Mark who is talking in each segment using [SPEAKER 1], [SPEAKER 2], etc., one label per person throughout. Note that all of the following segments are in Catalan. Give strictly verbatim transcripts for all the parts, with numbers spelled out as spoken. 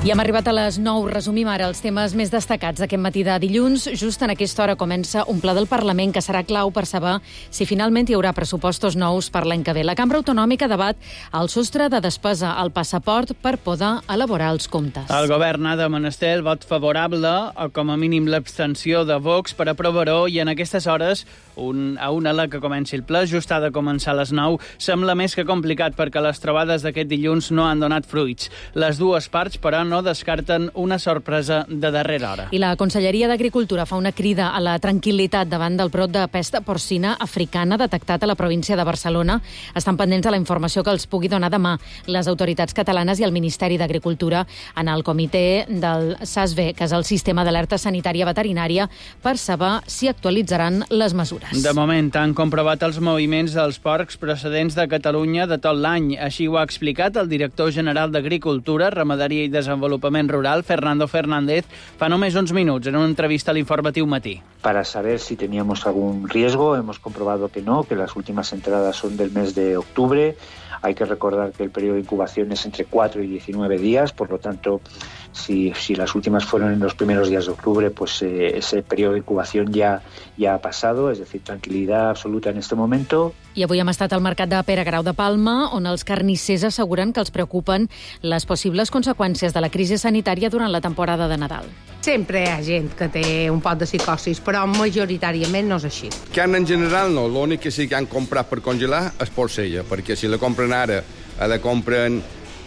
[SPEAKER 1] I hem arribat a les nou. Resumim ara els temes més destacats d'aquest matí de dilluns. Just en aquesta hora comença un ple del Parlament que serà clau per saber si finalment hi haurà pressupostos nous per l'any que ve. La Cambra Autonòmica debat el sostre de despesa al passaport per poder elaborar els comptes.
[SPEAKER 2] El govern ha de menester el vot favorable o com a mínim l'abstenció de Vox per aprovar-ho i en aquestes hores, un, a una hora que comenci el ple, just ha de començar a les nou, sembla més que complicat perquè les trobades d'aquest dilluns no han donat fruits. Les dues parts, però, no descarten una sorpresa de darrera hora.
[SPEAKER 1] I la Conselleria d'Agricultura fa una crida a la tranquil·litat davant del brot de pesta porcina africana detectat a la província de Barcelona. Estan pendents de la informació que els pugui donar demà les autoritats catalanes i el Ministeri d'Agricultura en el comitè del SASB, que és el Sistema d'Alerta Sanitària Veterinària, per saber si actualitzaran les mesures.
[SPEAKER 2] De moment han comprovat els moviments dels porcs procedents de Catalunya de tot l'any. Així ho ha explicat el director general d'Agricultura, Ramaderia i Desenvolupament Rural, Fernando Fernández, fa només uns minuts en una entrevista a l'Informatiu Matí.
[SPEAKER 3] Para saber si teníamos algún riesgo, hemos comprobado que no, que las últimas entradas son del mes de octubre. Hay que recordar que el periodo de incubación es entre cuatro y diecinueve días, por lo tanto, si, si las últimas fueron en los primeros días de octubre, pues eh, ese periodo de incubación ya, ya ha pasado, es decir, tranquilidad absoluta en este momento.
[SPEAKER 1] I avui hem estat al mercat de Pere Grau de Palma, on els carnissers asseguren que els preocupen les possibles conseqüències de la crisi sanitària durant la temporada de Nadal.
[SPEAKER 4] Sempre hi ha gent que té un pot de psicosis, però majoritàriament no és així.
[SPEAKER 5] Carn en general no, l'únic que sí que han comprat per congelar és porcella, perquè si la compren ara, la compren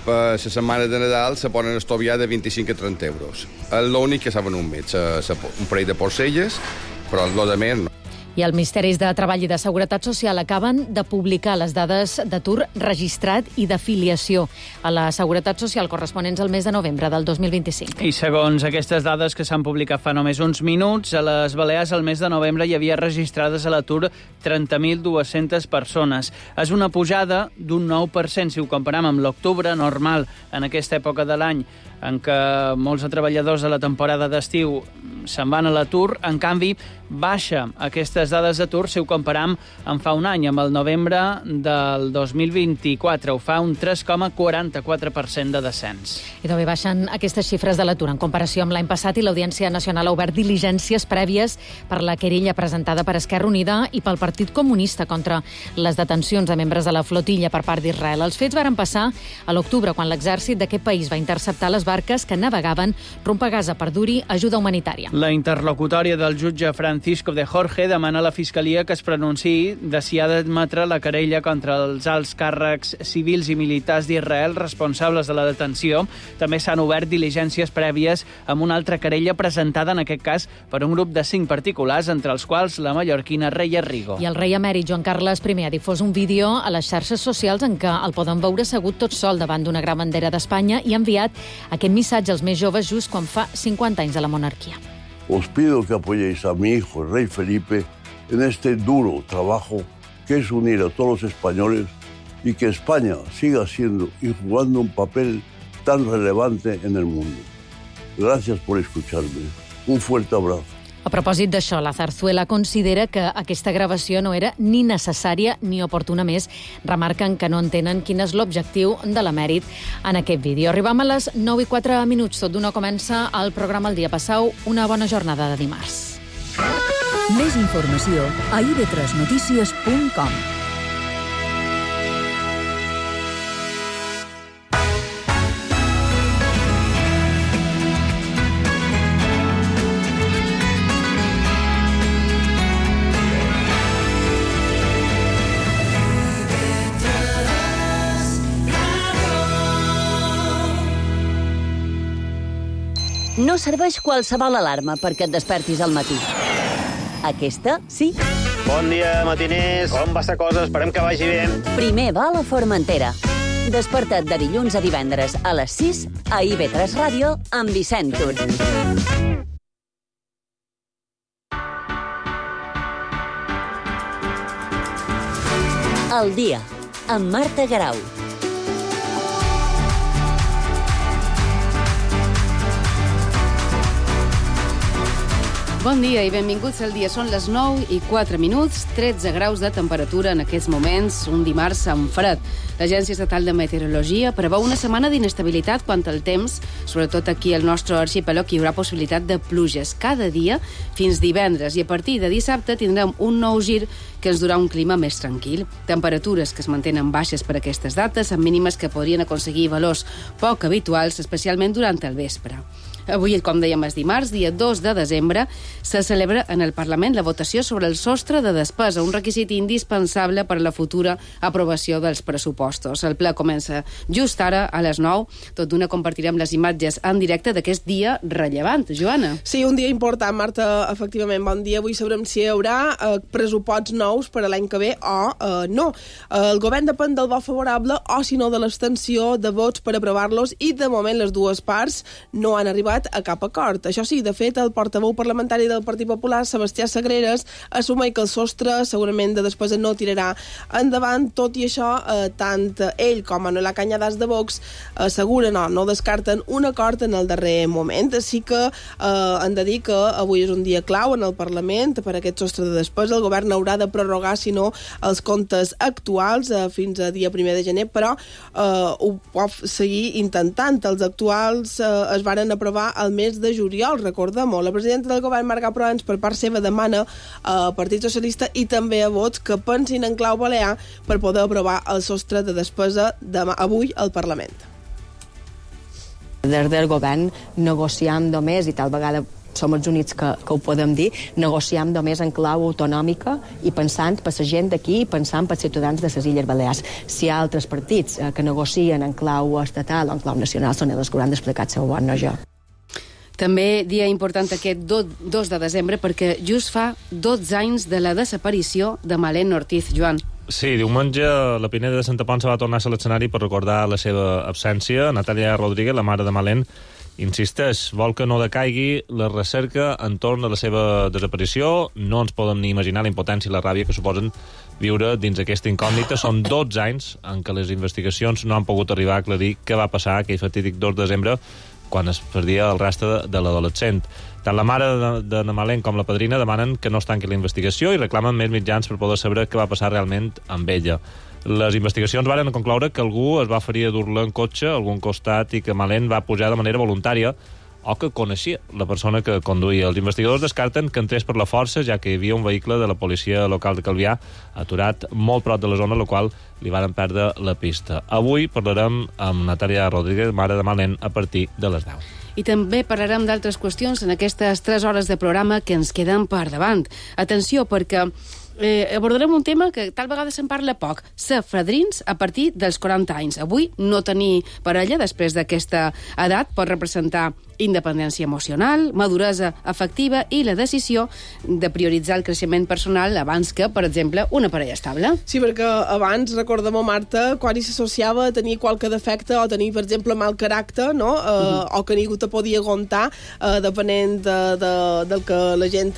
[SPEAKER 5] per la setmana de Nadal, se poden estoviar de vint-i-cinc a trenta euros. És l'únic que saben un mes, un parell de porcelles, però el de més no.
[SPEAKER 1] I els Ministeris de Treball i de Seguretat Social acaben de publicar les dades d'atur registrat i d'afiliació a la Seguretat Social corresponents al mes de novembre del dos mil vint-i-cinc.
[SPEAKER 2] I segons aquestes dades que s'han publicat fa només uns minuts, a les Balears al mes de novembre hi havia registrades a l'atur trenta mil dues-centes persones. És una pujada d'un nou per cent si ho comparem amb l'octubre normal en aquesta època de l'any, en què molts treballadors de la temporada d'estiu se'n van a l'atur. En canvi, baixa aquestes dades d'atur si ho comparam amb fa un any, amb el novembre del dos mil vint-i-quatre. Ho fa un tres coma quaranta-quatre per cent de descens.
[SPEAKER 1] I també baixen aquestes xifres de l'atur en comparació amb l'any passat i l'Audiència Nacional ha obert diligències prèvies per la querella presentada per Esquerra Unida i pel Partit Comunista contra les detencions de membres de la flotilla per part d'Israel. Els fets varen passar a l'octubre, quan l'exèrcit d'aquest país va interceptar les barques que navegaven rumb a Gaza per dur-hi ajuda humanitària.
[SPEAKER 2] La interlocutòria del jutge Francisco de Jorge demana a la Fiscalia que es pronunciï de si ha d'admetre la querella contra els alts càrrecs civils i militars d'Israel responsables de la detenció. També s'han obert diligències prèvies amb una altra querella presentada, en aquest cas, per un grup de cinc particulars, entre els quals la mallorquina Reia Rigo.
[SPEAKER 1] I el rei emèrit Joan Carles primer ha difós un vídeo a les xarxes socials en què el poden veure assegut tot sol davant d'una gran bandera d'Espanya i ha enviat aquest missatge als més joves just quan fa cinquanta anys de la monarquia.
[SPEAKER 6] Os pido que apoyéis a mi hijo, el rey Felipe, en este duro trabajo que es unir a todos los españoles y que España siga siendo y jugando un papel tan relevante en el mundo. Gracias por escucharme. Un fuerte abrazo.
[SPEAKER 1] A propòsit d'això, la Zarzuela considera que aquesta gravació no era ni necessària ni oportuna més. Remarquen que no entenen quin és l'objectiu de l'emèrit en aquest vídeo. Arribam a les nou i quatre minuts. Tot d'una comença el programa El dia passau. Una bona jornada de dimarts.
[SPEAKER 7] Més informació a i ve tres notícies punt com.
[SPEAKER 8] No serveix qualsevol alarma perquè et despertis al matí. Aquesta, sí.
[SPEAKER 9] Bon dia, matiners. Com va la cosa? Esperem que vagi bé.
[SPEAKER 8] Primer va a la Formentera. Desperta't de dilluns a divendres a les sis a i ve tres Ràdio amb Vicent Tur. El dia, amb Marta Garau.
[SPEAKER 10] Bon dia i benvinguts al dia. Són les nou i quatre minuts, tretze graus de temperatura en aquests moments, un dimarts amb fred. L'Agència Estatal de Meteorologia preveu una setmana d'inestabilitat quant al temps, sobretot aquí al nostre arxipèlag hi haurà possibilitat de pluges cada dia fins divendres i a partir de dissabte tindrem un nou gir que ens durà un clima més tranquil. Temperatures que es mantenen baixes per aquestes dates, amb mínimes que podrien aconseguir valors poc habituals, especialment durant el vespre. Avui, com dèiem, és dimarts, dia dos de desembre, se celebra en el Parlament la votació sobre el sostre de despesa, un requisit indispensable per a la futura aprovació dels pressupostos. El ple comença just ara, a les nou. Tot d'una compartirem les imatges en directe d'aquest dia rellevant. Joana.
[SPEAKER 11] Sí, un dia important, Marta, efectivament. Bon dia. Avui sabrem si hi haurà eh, pressuposts nous per a l'any que ve o eh, no. Eh, el govern depèn del vot favorable o, si no, de l'extensió de vots per aprovar-los i, de moment, les dues parts no han arribat a cap acord. Això sí, de fet, el portaveu parlamentari del Partit Popular, Sebastià Sagreras, assumeix que el sostre segurament de despesa no tirarà endavant. Tot i això, eh, tant ell com Manuela Cañadas de Vox asseguren o no descarten un acord en el darrer moment. Així que eh, han de dir que avui és un dia clau en el Parlament per aquest sostre de despesa. El govern haurà de prorrogar, si no, els comptes actuals eh, fins a dia primer de gener, però eh, ho pot seguir intentant. Els actuals eh, es varen aprovar al mes de juliol, recordem-ho. La presidenta del govern, Marga Proens, per part seva demana al Partit Socialista i també a Vox que pensin en clau balear per poder aprovar el sostre de despesa demà, avui al Parlament.
[SPEAKER 12] Des del govern negociam només, i tal vegada som els únics que, que ho podem dir, negociam només en clau autonòmica i pensant per la gent d'aquí i pensant per ciutadans de les Illes Balears. Si hi ha altres partits eh, que negocien en clau estatal o en clau nacional, són els que hauran d'explicar el seu vot, no jo.
[SPEAKER 10] També dia important aquest dos de desembre perquè just fa dotze anys de la desaparició de Malén Ortiz. Joan.
[SPEAKER 13] Sí, diumenge la Pineda de Santa Ponça va tornar a l'escenari per recordar la seva absència. Natàlia Rodríguez, la mare de Malén, insisteix, vol que no decaigui la recerca entorn de la seva desaparició. No ens podem ni imaginar la impotència i la ràbia que suposen viure dins aquesta incògnita. Són dotze anys en què les investigacions no han pogut arribar a aclarir què va passar aquell fatídic dos de desembre quan es perdia el rastre de, de l'adolescent. Tant la mare de, de Malén com la padrina demanen que no es tanqui la investigació i reclamen més mitjans per poder saber què va passar realment amb ella. Les investigacions varen concloure que algú es va ferir a dur-la en cotxe a algun costat i que Malén va pujar de manera voluntària o que coneixia la persona que conduïa. Els investigadors descarten que entrés per la força, ja que hi havia un vehicle de la policia local de Calvià aturat molt prop de la zona, la qual li van perdre la pista. Avui parlarem amb Natàlia Rodríguez, mare de Malén, a partir de les deu.
[SPEAKER 10] I també parlarem d'altres qüestions en aquestes tres hores de programa que ens queden per davant. Atenció, perquè eh, abordarem un tema que tal vegada se'n parla poc, ser fadrins a partir dels quaranta anys. Avui no tenir parella després d'aquesta edat pot representar independència emocional, maduresa afectiva i la decisió de prioritzar el creixement personal abans que, per exemple, una parella estable.
[SPEAKER 11] Sí, perquè abans, recordem-ho, Marta, quan hi s'associava a tenir qualque defecte o tenir, per exemple, mal caràcter, no? Eh, mm-hmm. O que ningú te podia aguantar, eh, depenent de, de, del que la gent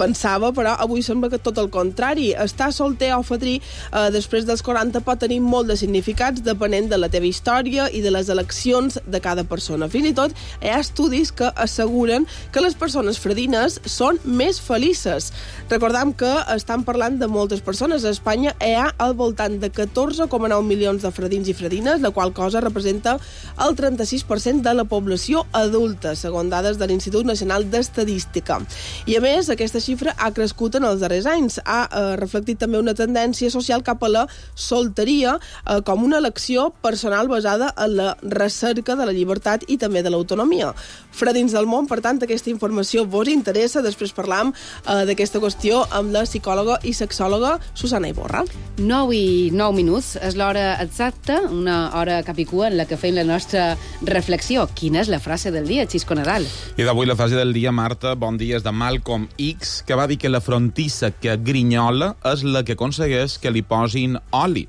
[SPEAKER 11] pensava, però avui sembla que tot el contrari. Estar solter o fadrí eh, després dels quaranta pot tenir molt de significats depenent de la teva història i de les eleccions de cada persona. Fins i tot hi ha estudis que asseguren que les persones fredines són més felices. Recordam que estan parlant de moltes persones. A Espanya hi ha al voltant de catorze coma nou milions de fredins i fredines, la qual cosa representa el trenta-sis per cent de la població adulta, segons dades de l'Institut Nacional d'Estadística. I a més, aquesta xifra ha crescut en els darrers anys. Ha eh, reflectit també una tendència social cap a la solteria eh, com una elecció personal basada en la recerca de la llibertat i també de l'autonomia. Fredins del món, per tant, aquesta informació vos interessa. Després parlam eh, d'aquesta qüestió amb la psicòloga i sexòloga Susana Iborra.
[SPEAKER 10] nou i nou minuts és l'hora exacta, una hora capicua en la que fem la nostra reflexió. Quina és la frase del dia, Xisco Nadal?
[SPEAKER 14] I d'avui la frase del dia, Marta, bon dia, és de Malcolm X, que va dir que la frontissa que grinyola és la que aconsegueix que li posin oli.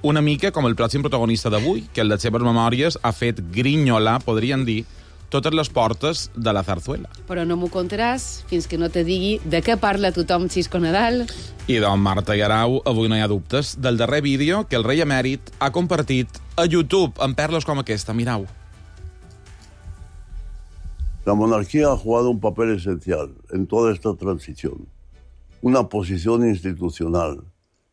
[SPEAKER 14] Una mica com el pròxim protagonista d'avui, que en les seves memòries ha fet grinyolar, podríem dir, totes les portes de la zarzuela.
[SPEAKER 10] Però no m'ho contaràs fins que no te digui de què parla tothom Xisco Nadal.
[SPEAKER 14] I doncs, Marta i Arau, avui no hi ha dubtes del darrer vídeo que el rei emèrit ha compartit a YouTube amb perles com aquesta, mirau.
[SPEAKER 6] La monarquía ha jugado un papel esencial en toda esta transición, una posición institucional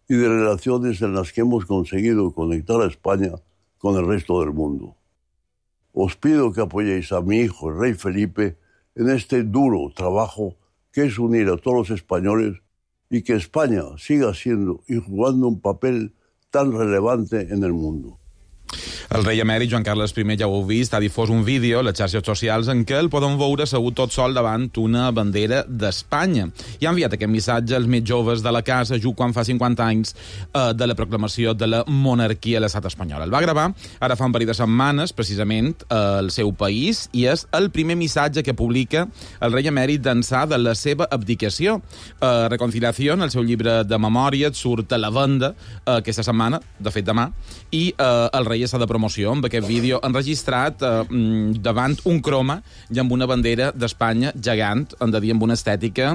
[SPEAKER 6] y de relaciones en las que hemos conseguido conectar a España con el resto del mundo. Os pido que apoyéis a mi hijo, el rey Felipe, en este duro trabajo que es unir a todos los españoles y que España siga siendo y jugando un papel tan relevante en el mundo.
[SPEAKER 14] El rei emèrit Joan Carles I, ja ho heu vist, ha difós un vídeo a les xarxes socials en què el podem veure assegut tot sol davant una bandera d'Espanya. I ha enviat aquest missatge als més joves de la casa just quan fa cinquanta anys eh, de la proclamació de la monarquia a l'estat espanyol. El va gravar ara fa un parell de setmanes, precisament, al seu país, i és el primer missatge que publica el rei emèrit d'ençà de la seva abdicació. Eh, Reconciliació, en el seu llibre de memòria, surt a la venda eh, aquesta setmana, de fet demà, i eh, el rei està de promoció amb aquest vídeo enregistrat eh, davant un croma i amb una bandera d'Espanya gegant, hem de dir amb una estètica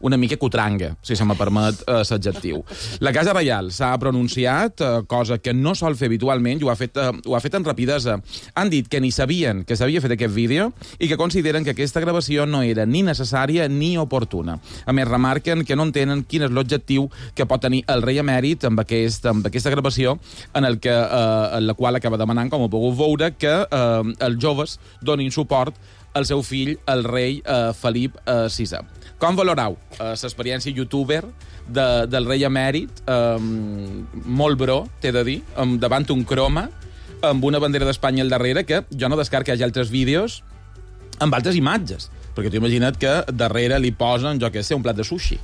[SPEAKER 14] una mica cutranga, si se me permet eh, l'adjectiu. La Casa Reial s'ha pronunciat, eh, cosa que no sol fer habitualment, i ho ha fet, eh, ho ha fet amb rapidesa. Han dit que ni sabien que s'havia fet aquest vídeo i que consideren que aquesta gravació no era ni necessària ni oportuna. A més, remarquen que no entenen quin és l'objectiu que pot tenir el rei emèrit amb, aquest, amb aquesta gravació en, el que, eh, en la qual acaba demanant, com ho pugueu veure, que eh, els joves donin suport al seu fill, el rei eh, Felip eh, sisè. Com valorau eh, l'experiència youtuber de, del rei emèrit? Eh, molt bro, t'he de dir, amb, davant un croma, amb una bandera d'Espanya al darrere, que jo no descarto que hi hagi altres vídeos amb altres imatges, perquè t'ho imagina't que darrere li posen, jo què sé, un plat de sushi,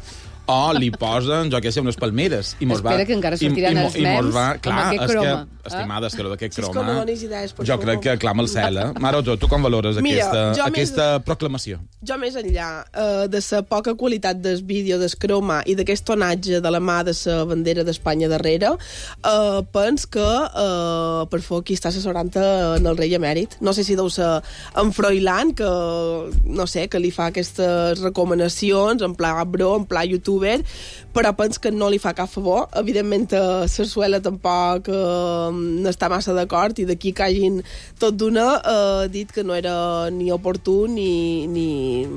[SPEAKER 14] o li posen, jo què sé, unes palmeres. I mos
[SPEAKER 10] Espera,
[SPEAKER 6] va,
[SPEAKER 10] que encara sortiran
[SPEAKER 6] i, i,
[SPEAKER 10] els
[SPEAKER 6] i mos
[SPEAKER 10] mems
[SPEAKER 6] va, clar,
[SPEAKER 10] amb aquest
[SPEAKER 6] és
[SPEAKER 10] croma.
[SPEAKER 6] Que, estimada, és que d'aquest
[SPEAKER 11] Si és que
[SPEAKER 6] croma...
[SPEAKER 11] no donis idees, per
[SPEAKER 6] jo
[SPEAKER 11] favor.
[SPEAKER 6] crec que clama el cel, eh? Mare, tu, tu com valores
[SPEAKER 11] Mira,
[SPEAKER 6] aquesta,
[SPEAKER 11] jo
[SPEAKER 6] aquesta
[SPEAKER 11] més-
[SPEAKER 6] proclamació?
[SPEAKER 11] Jo més enllà eh, de la poca qualitat del vídeo, del croma i d'aquest tonatge de la mà de la bandera d'Espanya darrere, eh, pens que eh, per favor qui està assessorant en el rei emèrit, no sé si deu ser en Froilán, que no sé, que li fa aquestes recomanacions en pla bro, en pla youtuber, però pens que no li fa cap favor. Evidentment a Sarsuela tampoc eh, no està massa d'acord, i d'aquí que hagin tot d'una eh, dit que no era ni oportú ni, ni,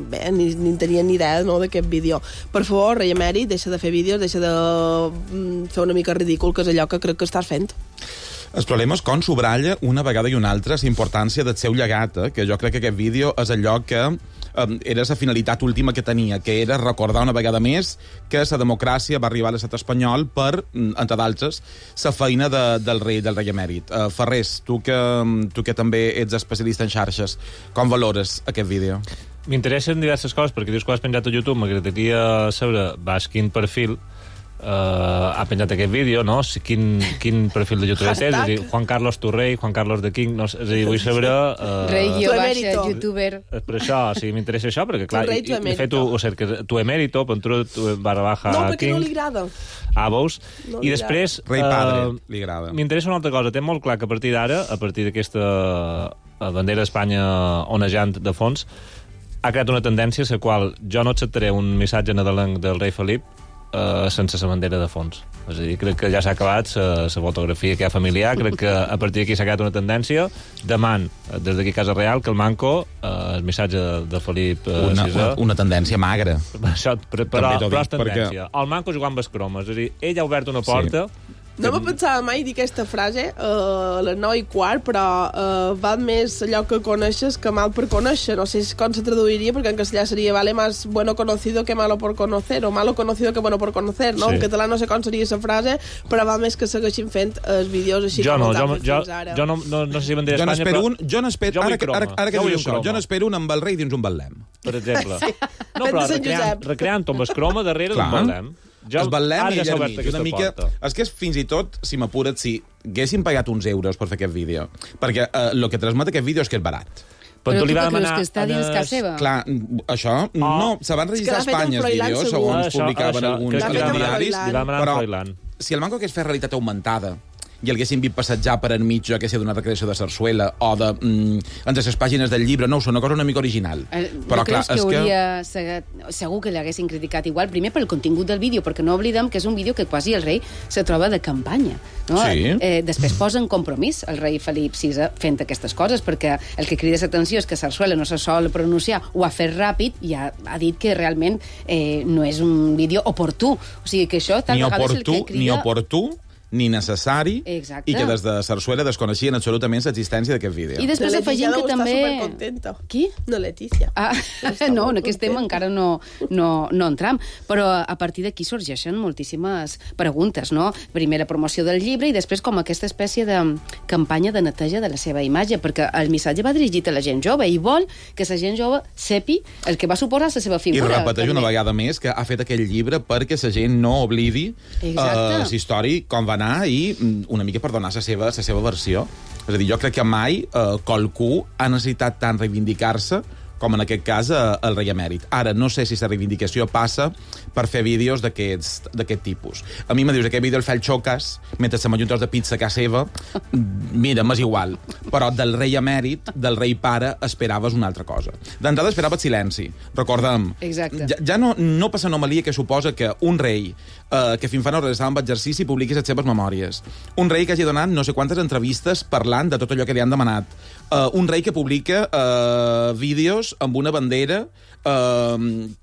[SPEAKER 11] bé, ni, ni tenien ni idea, no, d'aquest vídeo. Per favor, rei emèrit, deixa de fer vídeos, deixa de mm, fer una mica ridícul, que és allò que crec que estàs fent.
[SPEAKER 14] El problema és com sobralla una vegada i una altra la importància del seu llegat, eh? Que jo crec que aquest vídeo és allò que eh, era la finalitat última que tenia, que era recordar una vegada més que la democràcia va arribar a l'estat espanyol per, entre d'altres, la feina de, del rei del rei emèrit. Uh, Ferrés, tu que, tu que també ets especialista en xarxes, com valores aquest vídeo?
[SPEAKER 13] M'interessen diverses coses, perquè dius que ho has penjat a YouTube, m'agradaria saber, vas, quin perfil Uh, ha penjat aquest vídeo, no? Si, quin, quin perfil de youtuber té, és a dir, Juan Carlos tu rei, Juan Carlos de King, no sé, és a dir, vull saber... Uh,
[SPEAKER 10] Rei, guió, baixa, youtuber...
[SPEAKER 13] Per això, sí, m'interessa això, perquè, clar,
[SPEAKER 11] rei,
[SPEAKER 13] i, i, de fet, ho, ho cerques, tu emèrito, Pentru, tu barra baja
[SPEAKER 11] No, perquè
[SPEAKER 13] King,
[SPEAKER 11] no li agrada.
[SPEAKER 13] ah, veus?
[SPEAKER 11] No
[SPEAKER 13] I
[SPEAKER 11] li
[SPEAKER 13] després...
[SPEAKER 14] Rei padre,
[SPEAKER 13] uh,
[SPEAKER 14] li agrada.
[SPEAKER 13] M'interessa una altra cosa, té molt clar que a partir d'ara, a partir d'aquesta uh, bandera d'Espanya onejant de fons, ha creat una tendència a la qual jo no acceptaré un missatge nadalenc del rei Felip Uh, sense la bandera de fons. És a dir, crec que ja s'ha acabat la fotografia que hi ha familiar, crec que a partir d'aquí s'ha creat una tendència. Deman, des d'aquí a Casa Real, que el manco, uh, el missatge de, de Felip uh,
[SPEAKER 14] una,
[SPEAKER 13] sisè...
[SPEAKER 14] una, una tendència magra.
[SPEAKER 13] Això, però, però,
[SPEAKER 14] També t'ho
[SPEAKER 13] però és
[SPEAKER 14] dic, perquè-
[SPEAKER 13] tendència. El manco jugant amb cromes. És a dir, ell ha obert una porta... Sí.
[SPEAKER 11] No me pensava mai dir aquesta frase uh, a les nou i quart, però uh, va més allò que coneixes que mal per conèixer. No sé com se traduiria, perquè en castellà seria vale más bueno conocido que malo por conocer, o malo conocido que bueno por conocer, no?
[SPEAKER 13] Sí.
[SPEAKER 11] En català no sé com seria la frase, però va més que segueixin fent els vídeos així
[SPEAKER 13] Jo
[SPEAKER 11] com
[SPEAKER 13] no,
[SPEAKER 11] els
[SPEAKER 13] jo,
[SPEAKER 11] han fet
[SPEAKER 13] jo,
[SPEAKER 11] fins ara.
[SPEAKER 13] jo no, no, no sé si bandera
[SPEAKER 14] Jo
[SPEAKER 13] d'Espanya,
[SPEAKER 14] n'espero
[SPEAKER 13] però...
[SPEAKER 14] un, jo n'espero,
[SPEAKER 13] Jo vull
[SPEAKER 14] ara, que- ara,
[SPEAKER 13] croma.
[SPEAKER 14] ara que
[SPEAKER 13] Jo vull
[SPEAKER 14] dius
[SPEAKER 13] un
[SPEAKER 14] això,
[SPEAKER 13] croma.
[SPEAKER 14] jo n'espero un amb el rei dins un betlem.
[SPEAKER 13] Per exemple.
[SPEAKER 11] Sí.
[SPEAKER 13] No,
[SPEAKER 11] Fet
[SPEAKER 13] però
[SPEAKER 11] de Sant
[SPEAKER 13] recreant,
[SPEAKER 11] Josep.
[SPEAKER 13] recreant amb el croma darrere d'un betlem.
[SPEAKER 14] Jo, el betlem
[SPEAKER 13] ara
[SPEAKER 14] i
[SPEAKER 13] ja s'ha
[SPEAKER 14] allà
[SPEAKER 13] obert
[SPEAKER 14] mig,
[SPEAKER 13] aquesta
[SPEAKER 14] una mica...
[SPEAKER 13] porta.
[SPEAKER 14] És que és fins i tot, si m'apures, si haguessin pagat uns euros per fer aquest vídeo, perquè el eh, que transmet aquest vídeo és que és barat.
[SPEAKER 10] Però tu
[SPEAKER 13] li va
[SPEAKER 10] què creus,
[SPEAKER 13] demanar
[SPEAKER 10] que està dins
[SPEAKER 13] en
[SPEAKER 10] casa
[SPEAKER 13] es-
[SPEAKER 10] seva?
[SPEAKER 14] Clar, això, no, se van registrar a
[SPEAKER 11] És que l'ha fet
[SPEAKER 14] Espanya
[SPEAKER 11] en
[SPEAKER 14] els
[SPEAKER 11] Froilán,
[SPEAKER 14] vídeos,
[SPEAKER 11] segur.
[SPEAKER 14] segons
[SPEAKER 13] Això,
[SPEAKER 14] publicaven
[SPEAKER 13] això,
[SPEAKER 14] alguns
[SPEAKER 13] crec que li va demanar-
[SPEAKER 14] diaris,
[SPEAKER 13] li va demanar en
[SPEAKER 14] però
[SPEAKER 13] Froilán.
[SPEAKER 14] si el manco hagués fet realitat augmentada i el haguessin vist passejar per enmig, jo que sé, d'una recreació de sarsuela o de... Mm, entre les pàgines del llibre, no ho sé, una cosa una mica original.
[SPEAKER 10] El,
[SPEAKER 14] Però,
[SPEAKER 10] no
[SPEAKER 14] clar,
[SPEAKER 10] creus que
[SPEAKER 14] és
[SPEAKER 10] hauria...
[SPEAKER 14] que...
[SPEAKER 10] Segur que l'haguessin criticat igual, primer pel contingut del vídeo, perquè no oblidem que és un vídeo que quasi el rei se troba de campanya. No?
[SPEAKER 14] Sí.
[SPEAKER 10] Eh, després posa en compromís el rei Felip sisè fent aquestes coses, perquè el que crida l'atenció és que Sarsuela no se sol pronunciar, ho ha fet ràpid i ha, ha dit que realment eh, no és un vídeo oportú. O sigui que això tal
[SPEAKER 14] ni
[SPEAKER 10] vegades
[SPEAKER 14] oportú,
[SPEAKER 10] el que crida...
[SPEAKER 14] ni oportú, ni necessari,
[SPEAKER 10] Exacte.
[SPEAKER 14] i que des de Sarsuela desconeixien absolutament l'existència d'aquest vídeo.
[SPEAKER 10] I després afegim que també...
[SPEAKER 11] Està supercontenta.
[SPEAKER 10] Qui?
[SPEAKER 11] No, Letícia.
[SPEAKER 10] Ah, no, en aquest tema encara no, no, no entram, però a partir d'aquí sorgeixen moltíssimes preguntes, no? Primer la promoció del llibre i després com aquesta espècie de campanya de neteja de la seva imatge, perquè el missatge va dirigit a la gent jove i vol que la gent jove sepi el que va suposar la seva figura.
[SPEAKER 14] I repeteix una vegada més que ha fet aquell llibre perquè la gent no oblidi uh, la història, com va anar i una mica per donar la seva, la seva versió. És a dir, jo crec que mai eh, qualcú ha necessitat tant reivindicar-se com en aquest cas eh, el rei emèrit. Ara, no sé si la reivindicació passa per fer vídeos d'aquest tipus. A mi me dius, aquest vídeo el fa el Xocas mentre se m'ajunta de pizza a casa seva, mira, m'és igual. Però del rei emèrit, del rei pare, esperaves una altra cosa. D'entrada esperaves silenci. Recordem,
[SPEAKER 10] Exacte.
[SPEAKER 14] ja, ja no, no passa anomalia que suposa que un rei eh, que fins fa no res estava amb exercici publiqui les seves memòries. Un rei que hagi donat no sé quantes entrevistes parlant de tot allò que li han demanat. Uh, un rei que publica uh, vídeos amb una bandera. Uh,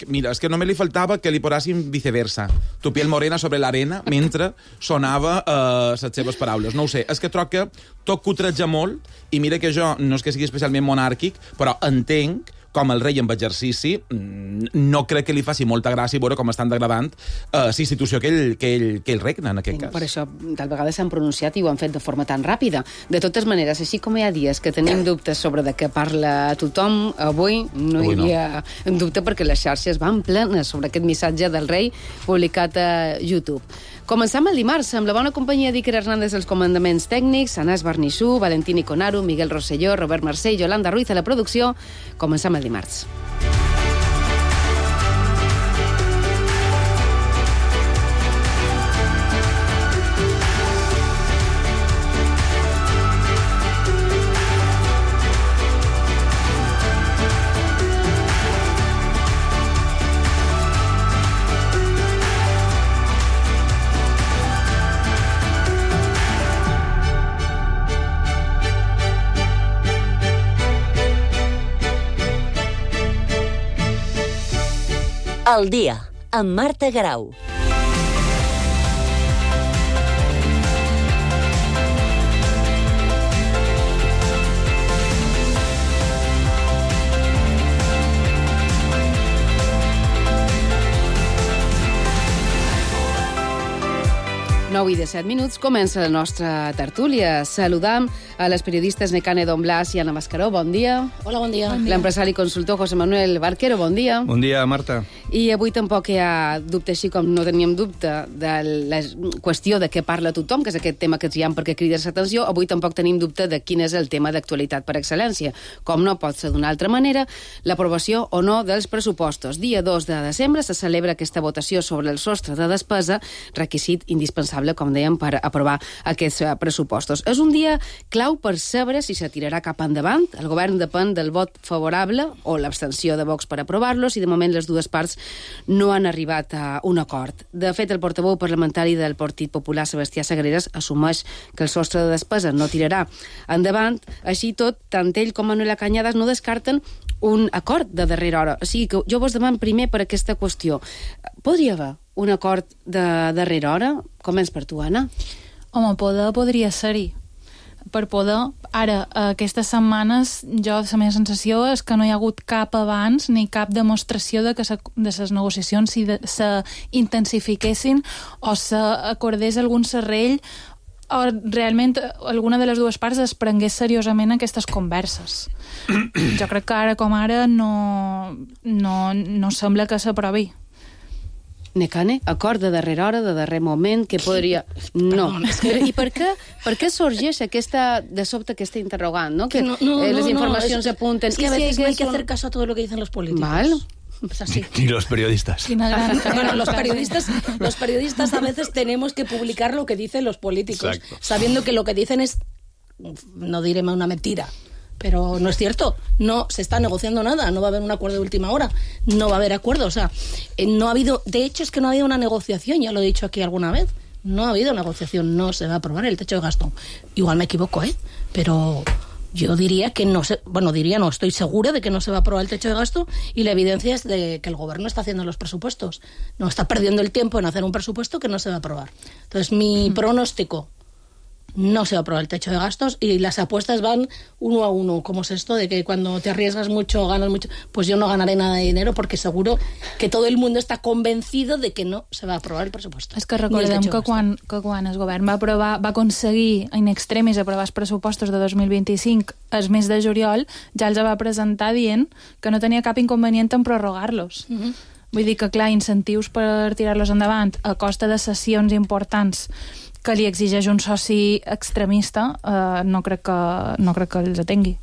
[SPEAKER 14] mira, és que només li faltava que li posessin viceversa. Tu piel morena sobre l'arena mentre sonava uh, les seves paraules. No ho sé, és que troc que tot cutreja molt i mira que jo no és que sigui especialment monàrquic, però entenc com el rei amb exercici, no crec que li faci molta gràcia veure com estan degradant uh, la institució que ell, que, ell, que ell regna, en aquest cas.
[SPEAKER 10] Per això, tal vegada s'han pronunciat i ho han fet de forma tan ràpida. De totes maneres, així com hi ha dies que tenim dubtes sobre de què parla tothom, avui no
[SPEAKER 14] avui
[SPEAKER 10] hi havia no. dubte perquè les xarxes van plenes sobre aquest missatge del rei publicat a YouTube. Començam el dimarts amb la bona companyia d'Iker Hernández als comandaments tècnics, Anàs Barnissú, Valentín Iconaru, Miguel Rosselló, Robert Mercè i Yolanda Ruiz a la producció. Començam el dimarts.
[SPEAKER 8] El dia, amb Marta Grau.
[SPEAKER 10] nou i disset minuts, comença la nostra tertúlia. Saludam a les periodistes Nekane Don Blas i Anna Mascaró. Bon dia.
[SPEAKER 15] Hola, bon dia.
[SPEAKER 10] L'empresari i consultor José Manuel Barquero. Bon dia.
[SPEAKER 16] Bon dia, Marta.
[SPEAKER 10] I avui tampoc hi ha dubte, així com no teníem dubte de la qüestió de què parla tothom, que és aquest tema que triem perquè crides l'atenció. Avui tampoc tenim dubte de quin és el tema d'actualitat per excel·lència. Com no pot ser d'una altra manera, l'aprovació o no dels pressupostos. Dia dos de desembre se celebra aquesta votació sobre el sostre de despesa, requisit indispensable, com dèiem, per aprovar aquests pressupostos. És un dia clau per saber si se tirarà cap endavant. El govern depèn del vot favorable o l'abstenció de Vox per aprovar-los i de moment les dues parts no han arribat a un acord. De fet, el portaveu parlamentari del Partit Popular, Sebastià Sagreras, assumeix que el sostre de despesa no tirarà endavant. Així tot, tant ell com Manuela Cañadas no descarten un acord de darrera hora. O sigui que jo vos demano primer per aquesta qüestió. Podria haver un acord de darrera hora? Començ per tu, Anna.
[SPEAKER 15] Home, poder podria ser-hi. Per poder, ara, aquestes setmanes, jo la meva sensació és que no hi ha hagut cap abans ni cap demostració de que se, de les negociacions s'intensifiquessin o s'acordés algun serrell o realment alguna de les dues parts es prengués seriosament aquestes converses. Jo crec que ara com ara no, no, no sembla que s'aprovi.
[SPEAKER 10] Nekane, acord de darrera hora, de darrer moment, que podria... No. I per què, per què sorgeix aquesta, de sobte aquesta interrogant, no? Que
[SPEAKER 15] no, no,
[SPEAKER 10] eh, les
[SPEAKER 15] no,
[SPEAKER 10] informacions
[SPEAKER 15] no, es,
[SPEAKER 10] apunten...
[SPEAKER 15] Es que a veces no hay que hacer caso a todo lo que dicen los políticos.
[SPEAKER 10] Val.
[SPEAKER 16] es así.
[SPEAKER 17] Ni los periodistas.
[SPEAKER 16] Bueno, los periodistas, los periodistas a veces tenemos que publicar lo que dicen los políticos, Exacto. sabiendo que lo que dicen es, no diré una mentira, pero no es cierto, no se está negociando nada, no va a haber un acuerdo de última hora, no va a haber acuerdo, o sea, no ha habido, de hecho es que no ha habido una negociación, ya lo he dicho aquí alguna vez, no ha habido negociación, no se va a aprobar el techo de gasto. Igual me equivoco, ¿eh? Pero yo diría que no se, bueno, diría no, estoy segura de que no se va a aprobar el techo de gasto y la evidencia es de que el gobierno está haciendo los presupuestos, no está perdiendo el tiempo en hacer un presupuesto que no se va a aprobar. Entonces mi mm. pronóstico, no se va a aprobar el techo de gastos y las apuestas van uno a uno. ¿Cómo es esto de que cuando te arriesgas mucho ganas mucho? Pues yo no ganaré nada de dinero porque seguro que todo el mundo está convencido de que no se va a aprovar el presupuesto.
[SPEAKER 15] És que recordem que quan, que quan el govern va, aprovar, va aconseguir in extremis aprovar els pressupostos de dos mil vint-i-cinc el mes de juliol, ja els va presentar dient que no tenia cap inconvenient en prorrogar-los. Uh-huh. Vull dir que, clar, incentius per tirar-los endavant a costa de sessions importants que li exigeix un soci extremista, eh, no, crec que, no crec que els atengui.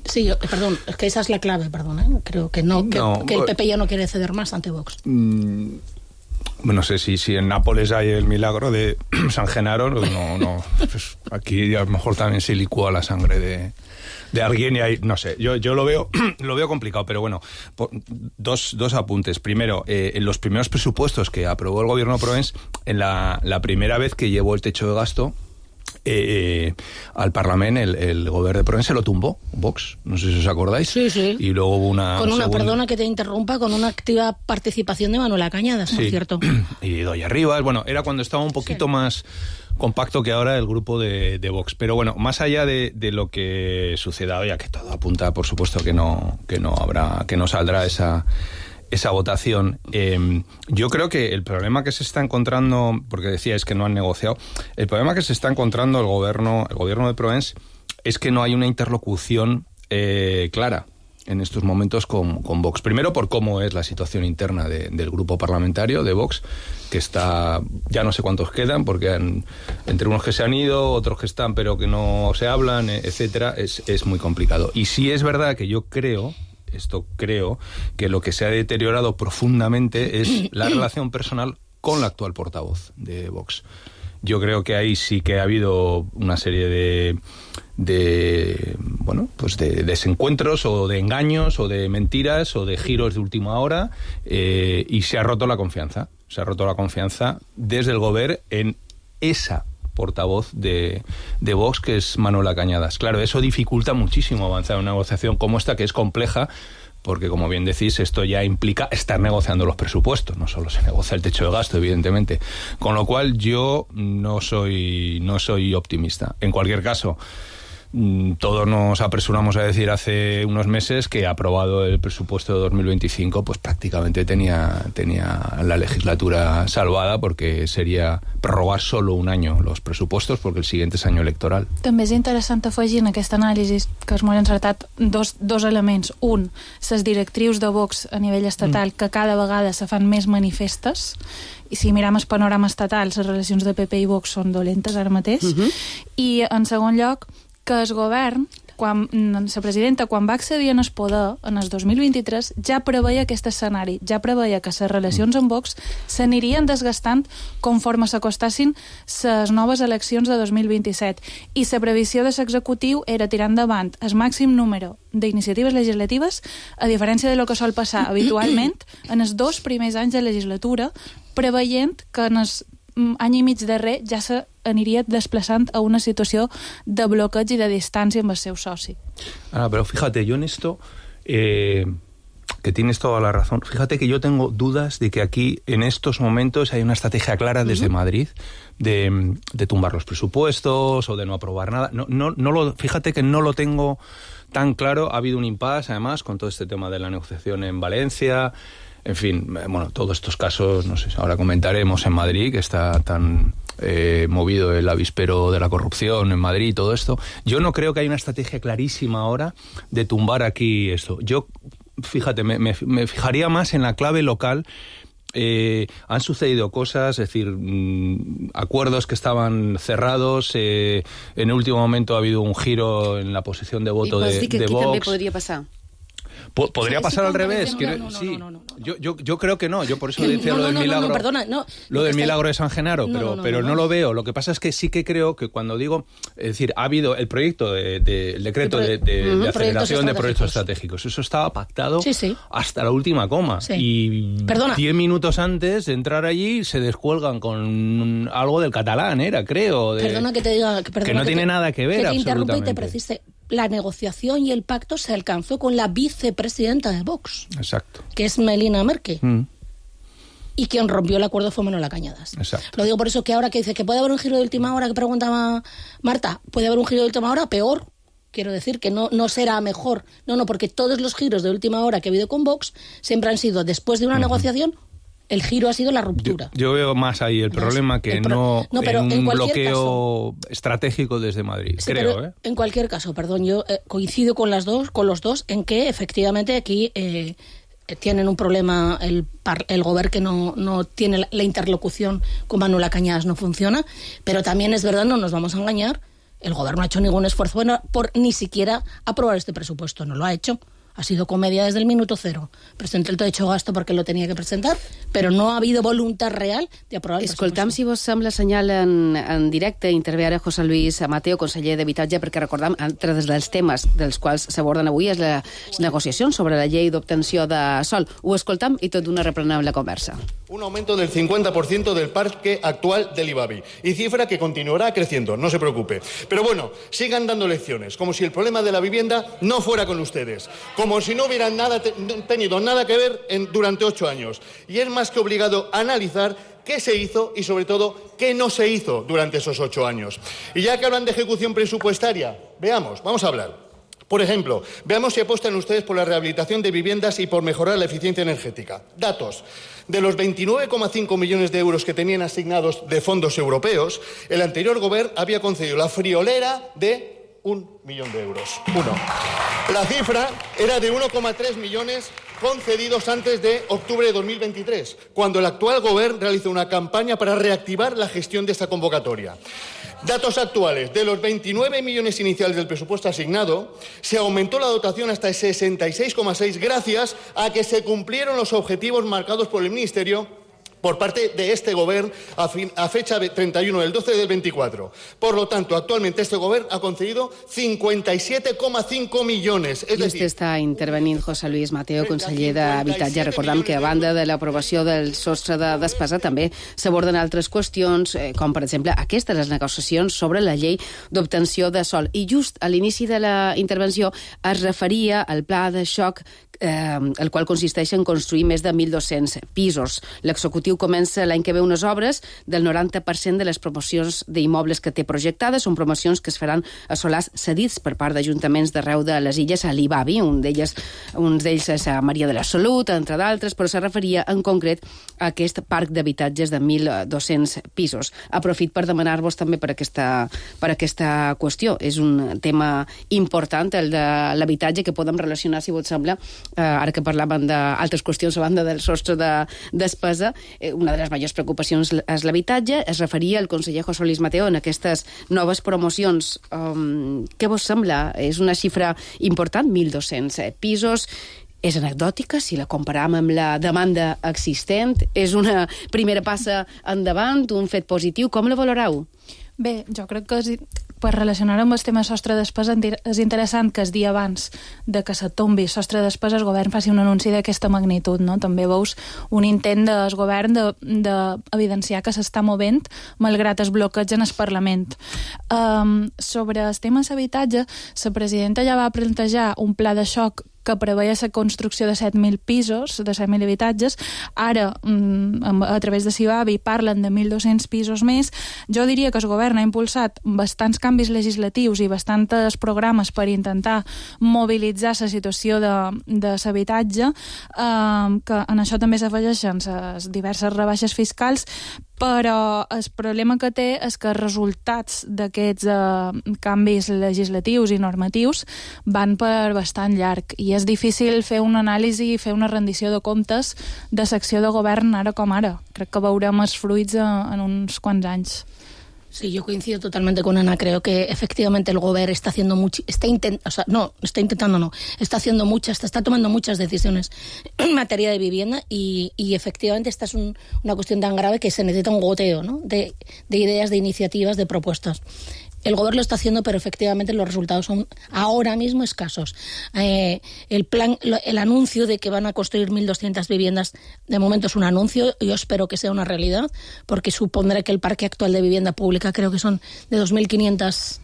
[SPEAKER 16] Sí, yo, perdón, es que esa es la clave, perdón, ¿eh? Creo que no, que, no, que el P P ya no quiere ceder más ante Vox.
[SPEAKER 17] Mm, no sé si, si en Nápoles hay el milagro de San Genaro, no, no, pues aquí a lo mejor también se licúa la sangre de... de alguien y ahí, no sé, yo, yo lo veo lo veo complicado, pero bueno, dos, dos apuntes. Primero, eh, en los primeros presupuestos que aprobó el gobierno Proens, en la, la primera vez que llevó el techo de gasto eh, al Parlamento, el, el gobierno de Proens se lo tumbó, Vox, no sé si os acordáis.
[SPEAKER 16] Sí, sí.
[SPEAKER 17] Y luego hubo una...
[SPEAKER 16] Con una,
[SPEAKER 17] segunda...
[SPEAKER 16] perdona que te interrumpa, con una activa participación de Manuela Cañadas, sí. ¿no es cierto?
[SPEAKER 17] Y Doña Rivas, bueno, era cuando estaba un poquito sí. más... compacto que ahora el grupo de, de Vox. Pero bueno, más allá de, de lo que suceda, ya que todo apunta, por supuesto, que no, que no habrá, que no saldrá esa, esa votación, eh, yo creo que el problema que se está encontrando, porque decíais que no han negociado, el problema que se está encontrando el gobierno, el gobierno de Proens es que no hay una interlocución eh, clara en estos momentos con, con Vox. Primero por cómo es la situación interna de, del grupo parlamentario de Vox, que está, ya no sé cuántos quedan, porque han, entre unos que se han ido, otros que están pero que no se hablan, etcétera, es, es muy complicado. Y sí es verdad que yo creo, esto creo, que lo que se ha deteriorado profundamente es la relación personal con la actual portavoz de Vox. Yo creo que ahí sí que ha habido una serie de, de bueno, pues de desencuentros o de engaños o de mentiras o de giros de última hora eh, y se ha roto la confianza. Se ha roto la confianza desde el gobierno en esa portavoz de, de Vox, que es Manuela Cañadas. Claro, eso dificulta muchísimo avanzar en una negociación como esta, que es compleja, porque, como bien decís, esto ya implica estar negociando los presupuestos, no solo se negocia el techo de gasto, evidentemente. Con lo cual, yo no soy, no soy optimista. En cualquier caso, todos nos apresuramos a decir hace unos meses que aprobado el presupuesto de dos mil veinticinco, pues prácticamente tenía, tenía la legislatura salvada, porque sería prorrogar solo un año los presupuestos, porque el siguiente es año electoral.
[SPEAKER 15] També és interessant afegir en aquesta anàlisi que és molt encertat dos, dos elements. Un, les directrius de Vox a nivell estatal, mm. que cada vegada se fan més manifestes, i si mirem el panorama estatal, les relacions de P P i Vox són dolentes ara mateix. Mm-hmm. I en segon lloc, que el govern, quan la presidenta, quan va accedir en el poder, en el dos mil vint-i-tres, ja preveia aquest escenari, ja preveia que les relacions amb Vox s'anirien desgastant conforme s'acostassin les noves eleccions de dos mil vint-i-set. I la previsió de l'executiu era tirar endavant el màxim número d'iniciatives legislatives, a diferència de lo que sol passar habitualment en els dos primers anys de legislatura, preveient que en els any i mig darrer ja s'aniria desplaçant a una situació de bloqueig i de distància amb el seu soci.
[SPEAKER 17] Ah, pero fíjate, yo en esto, eh, que tienes toda la razón, fíjate que yo tengo dudas de que aquí, en estos momentos, hay una estrategia clara desde uh-huh. Madrid de, de tumbar los presupuestos o de no aprobar nada. No, no, no lo, fíjate que no lo tengo tan claro. Ha habido un impasse, además, con todo este tema de la negociación en Valencia. En fin, bueno, todos estos casos, no sé, ahora comentaremos en Madrid, que está tan eh, movido el avispero de la corrupción en Madrid y todo esto. Yo no creo que haya una estrategia clarísima ahora de tumbar aquí esto. Yo, fíjate, me, me, me fijaría más en la clave local. Eh, han sucedido cosas, es decir, mmm, acuerdos que estaban cerrados, eh, en el último momento ha habido un giro en la posición de voto de, de Vox.
[SPEAKER 10] I vols dir que aquí també podria passar?
[SPEAKER 17] ¿Podría
[SPEAKER 16] Sí,
[SPEAKER 17] pasar
[SPEAKER 16] sí,
[SPEAKER 17] al revés?
[SPEAKER 16] no,
[SPEAKER 17] Quiero-
[SPEAKER 16] no, no,
[SPEAKER 17] sí.
[SPEAKER 16] no, no, no, no.
[SPEAKER 17] Yo, yo, yo creo que no. Yo por eso decía
[SPEAKER 16] No,
[SPEAKER 17] lo
[SPEAKER 16] no,
[SPEAKER 17] del
[SPEAKER 16] no, no,
[SPEAKER 17] milagro.
[SPEAKER 16] no, perdona, no.
[SPEAKER 17] Lo del
[SPEAKER 16] Está-
[SPEAKER 17] milagro de San Genaro,
[SPEAKER 16] No,
[SPEAKER 17] pero,
[SPEAKER 16] no, no,
[SPEAKER 17] pero
[SPEAKER 16] no,
[SPEAKER 17] no
[SPEAKER 16] no.
[SPEAKER 17] lo veo. Lo que pasa es que sí que creo que cuando digo, es decir, ha habido el proyecto, de, de- el decreto
[SPEAKER 16] El
[SPEAKER 17] de,
[SPEAKER 16] pro-
[SPEAKER 17] de- de
[SPEAKER 16] Ujú,
[SPEAKER 17] aceleración de
[SPEAKER 16] proyectos
[SPEAKER 17] proyectos estratégicos. Eso estaba pactado
[SPEAKER 16] Sí, sí.
[SPEAKER 17] hasta la última coma.
[SPEAKER 16] Sí.
[SPEAKER 17] Y
[SPEAKER 16] Perdona.
[SPEAKER 17] diez minutos antes de entrar allí se descuelgan con algo del catalán, era, creo. De,
[SPEAKER 16] Perdona que te diga... Que, perdona
[SPEAKER 17] que no
[SPEAKER 16] que
[SPEAKER 17] tiene
[SPEAKER 16] te-
[SPEAKER 17] nada que ver,
[SPEAKER 16] Que te interrumpa y te
[SPEAKER 17] absolutamente.
[SPEAKER 16] precise. La negociación y el pacto se alcanzó con la vicepresidenta de Vox,
[SPEAKER 17] Exacto.
[SPEAKER 16] que es Melina Merkel.
[SPEAKER 17] Mm,
[SPEAKER 16] Y quien rompió el acuerdo fue Manuela Cañadas.
[SPEAKER 17] exacto.
[SPEAKER 16] Lo digo por eso que ahora que dice que puede haber un giro de última hora, que preguntaba Marta, puede haber un giro de última hora peor. Quiero decir que no, no será mejor. No, no, porque todos los giros de última hora que ha habido con Vox siempre han sido, después de una
[SPEAKER 17] Ujú.
[SPEAKER 16] negociación, el giro ha sido la ruptura.
[SPEAKER 17] Yo veo más ahí el problema que
[SPEAKER 16] el pro-
[SPEAKER 17] no,
[SPEAKER 16] No, pero
[SPEAKER 17] en un
[SPEAKER 16] en cualquier
[SPEAKER 17] bloqueo estratégico desde Madrid,
[SPEAKER 16] Sí,
[SPEAKER 17] creo.
[SPEAKER 16] pero
[SPEAKER 17] ¿eh?
[SPEAKER 16] En cualquier caso, perdón, yo eh, coincido con las dos, con los dos, en que efectivamente aquí eh, eh, tienen un problema el, par- el gobierno que no, no tiene la, la interlocución con Manuela Cañadas, no funciona, pero también es verdad, no nos vamos a engañar, el gobierno no ha hecho ningún esfuerzo bueno, por ni siquiera aprobar este presupuesto, no lo ha hecho. Ha sido comedia desde el minuto cero. Presentó el techo gasto perquè lo tenia que presentar, però no ha habido voluntat real de aprovar el
[SPEAKER 10] Escoltam, si vos sembla, senyal en, en directe. Intervé ara José Luis Mateo, conseller d'Habitatge, perquè recordam, entre dels temes dels quals s'aborden avui és la negociació sobre la llei d'obtenció de sòl. Ho escoltam i tot d'una reprenem la conversa.
[SPEAKER 18] Un aumento del cincuenta por ciento del parque actual del IBABI y cifra que continuará creciendo, no se preocupe. Pero bueno, sigan dando lecciones, como si el problema de la vivienda no fuera con ustedes, como si no hubieran nada te tenido nada que ver en, durante ocho años. Y es más que obligado a analizar qué se hizo y, sobre todo, qué no se hizo durante esos ocho años. Y ya que hablan de ejecución presupuestaria, veamos, vamos a hablar. Por ejemplo, veamos si apuestan ustedes por la rehabilitación de viviendas y por mejorar la eficiencia energética. Datos. De los veintinueve coma cinco millones de euros que tenían asignados de fondos europeos, el anterior gobierno había concedido la friolera de un millón de euros. Uno. La cifra era de uno coma tres millones concedidos antes de octubre de dos mil veintitrés, cuando el actual gobierno realizó una campaña para reactivar la gestión de esta convocatoria. Datos actuales. De los veintinueve millones iniciales del presupuesto asignado, se aumentó la dotación hasta sesenta y seis coma seis gracias a que se cumplieron los objetivos marcados por el Ministerio por parte de este gobierno a, fin, a fecha de treinta y uno del doce del veinticuatro. Por lo tanto, actualmente este gobierno ha concedido cincuenta y siete coma cinco millones. Es
[SPEAKER 10] I
[SPEAKER 18] decir,
[SPEAKER 10] este està intervenint José Luis Mateo, conseller d'Habitatge. Recordam que a banda de l'aprovació del sostre de despesa també s'aborden altres qüestions, eh, com per exemple aquestes, les negociacions sobre la llei d'obtenció de sòl. I just a l'inici de la intervenció es referia al pla de xoc eh, el qual consisteix en construir més de mil dos-cents pisos. L'executiu comença l'any que ve unes obres del noranta per cent de les promocions d'immobles que té projectades. Són promocions que es faran a solars cedits per part d'ajuntaments d'arreu de les illes a l'Ibabi. Un d'ells uns d'ells és a Maria de la Salut, entre d'altres, però se referia en concret a aquest parc d'habitatges de mil dos-cents pisos. Aprofit per demanar-vos també per aquesta, per aquesta qüestió. És un tema important, el de l'habitatge, que podem relacionar, si vos sembla, eh, ara que parlàvem d'altres qüestions a banda del sostre de despesa, eh, una de les majors preocupacions és l'habitatge. Es referia el conseller José Luis Mateo en aquestes noves promocions. Um, què vos sembla? És una xifra important, mil dos-cents pisos. És anecdòtica si la comparam amb la demanda existent? És una primera passa endavant, un fet positiu? Com la valoreu?
[SPEAKER 15] Bé, jo crec que és, per relacionar amb el tema sostre de despesa és interessant que el dia abans de que se tombi sostre de despesa el govern faci un anunci d'aquesta magnitud, no? També veus un intent del govern d'evidenciar de, de que s'està movent malgrat el bloqueig en el Parlament. Um, sobre el tema d'habitatge, la presidenta ja va plantejar un pla de xoc que preveia la construcció de set mil pisos, de set mil habitatges. Ara, a través de Cibavi, parlen de mil dos-cents pisos més. Jo diria que el govern ha impulsat bastants canvis legislatius i bastants programes per intentar mobilitzar la situació de, de l'habitatge, eh, que en això també s'afegeixen les diverses rebaixes fiscals, però el problema que té és que els resultats d'aquests eh, canvis legislatius i normatius van per bastant llarg i és difícil fer una anàlisi i fer una rendició de comptes de l'acció de govern ara com ara. Crec que veurem els fruits en uns quants anys.
[SPEAKER 16] Sí, yo coincido totalmente con Ana. Creo que efectivamente el gobierno está haciendo mucho, está intent, o sea, no, está intentando no, está haciendo muchas, está, está tomando muchas decisiones en materia de vivienda y, y efectivamente esta es un, una cuestión tan grave que se necesita un goteo, ¿no? de, de ideas, de iniciativas, de propuestas. El gobierno lo está haciendo, pero efectivamente los resultados son ahora mismo escasos. Eh, el plan, el anuncio de que van a construir mil doscientas viviendas, de momento es un anuncio. Yo espero que sea una realidad, porque supondré que el parque actual de vivienda pública creo que son de dos mil quinientos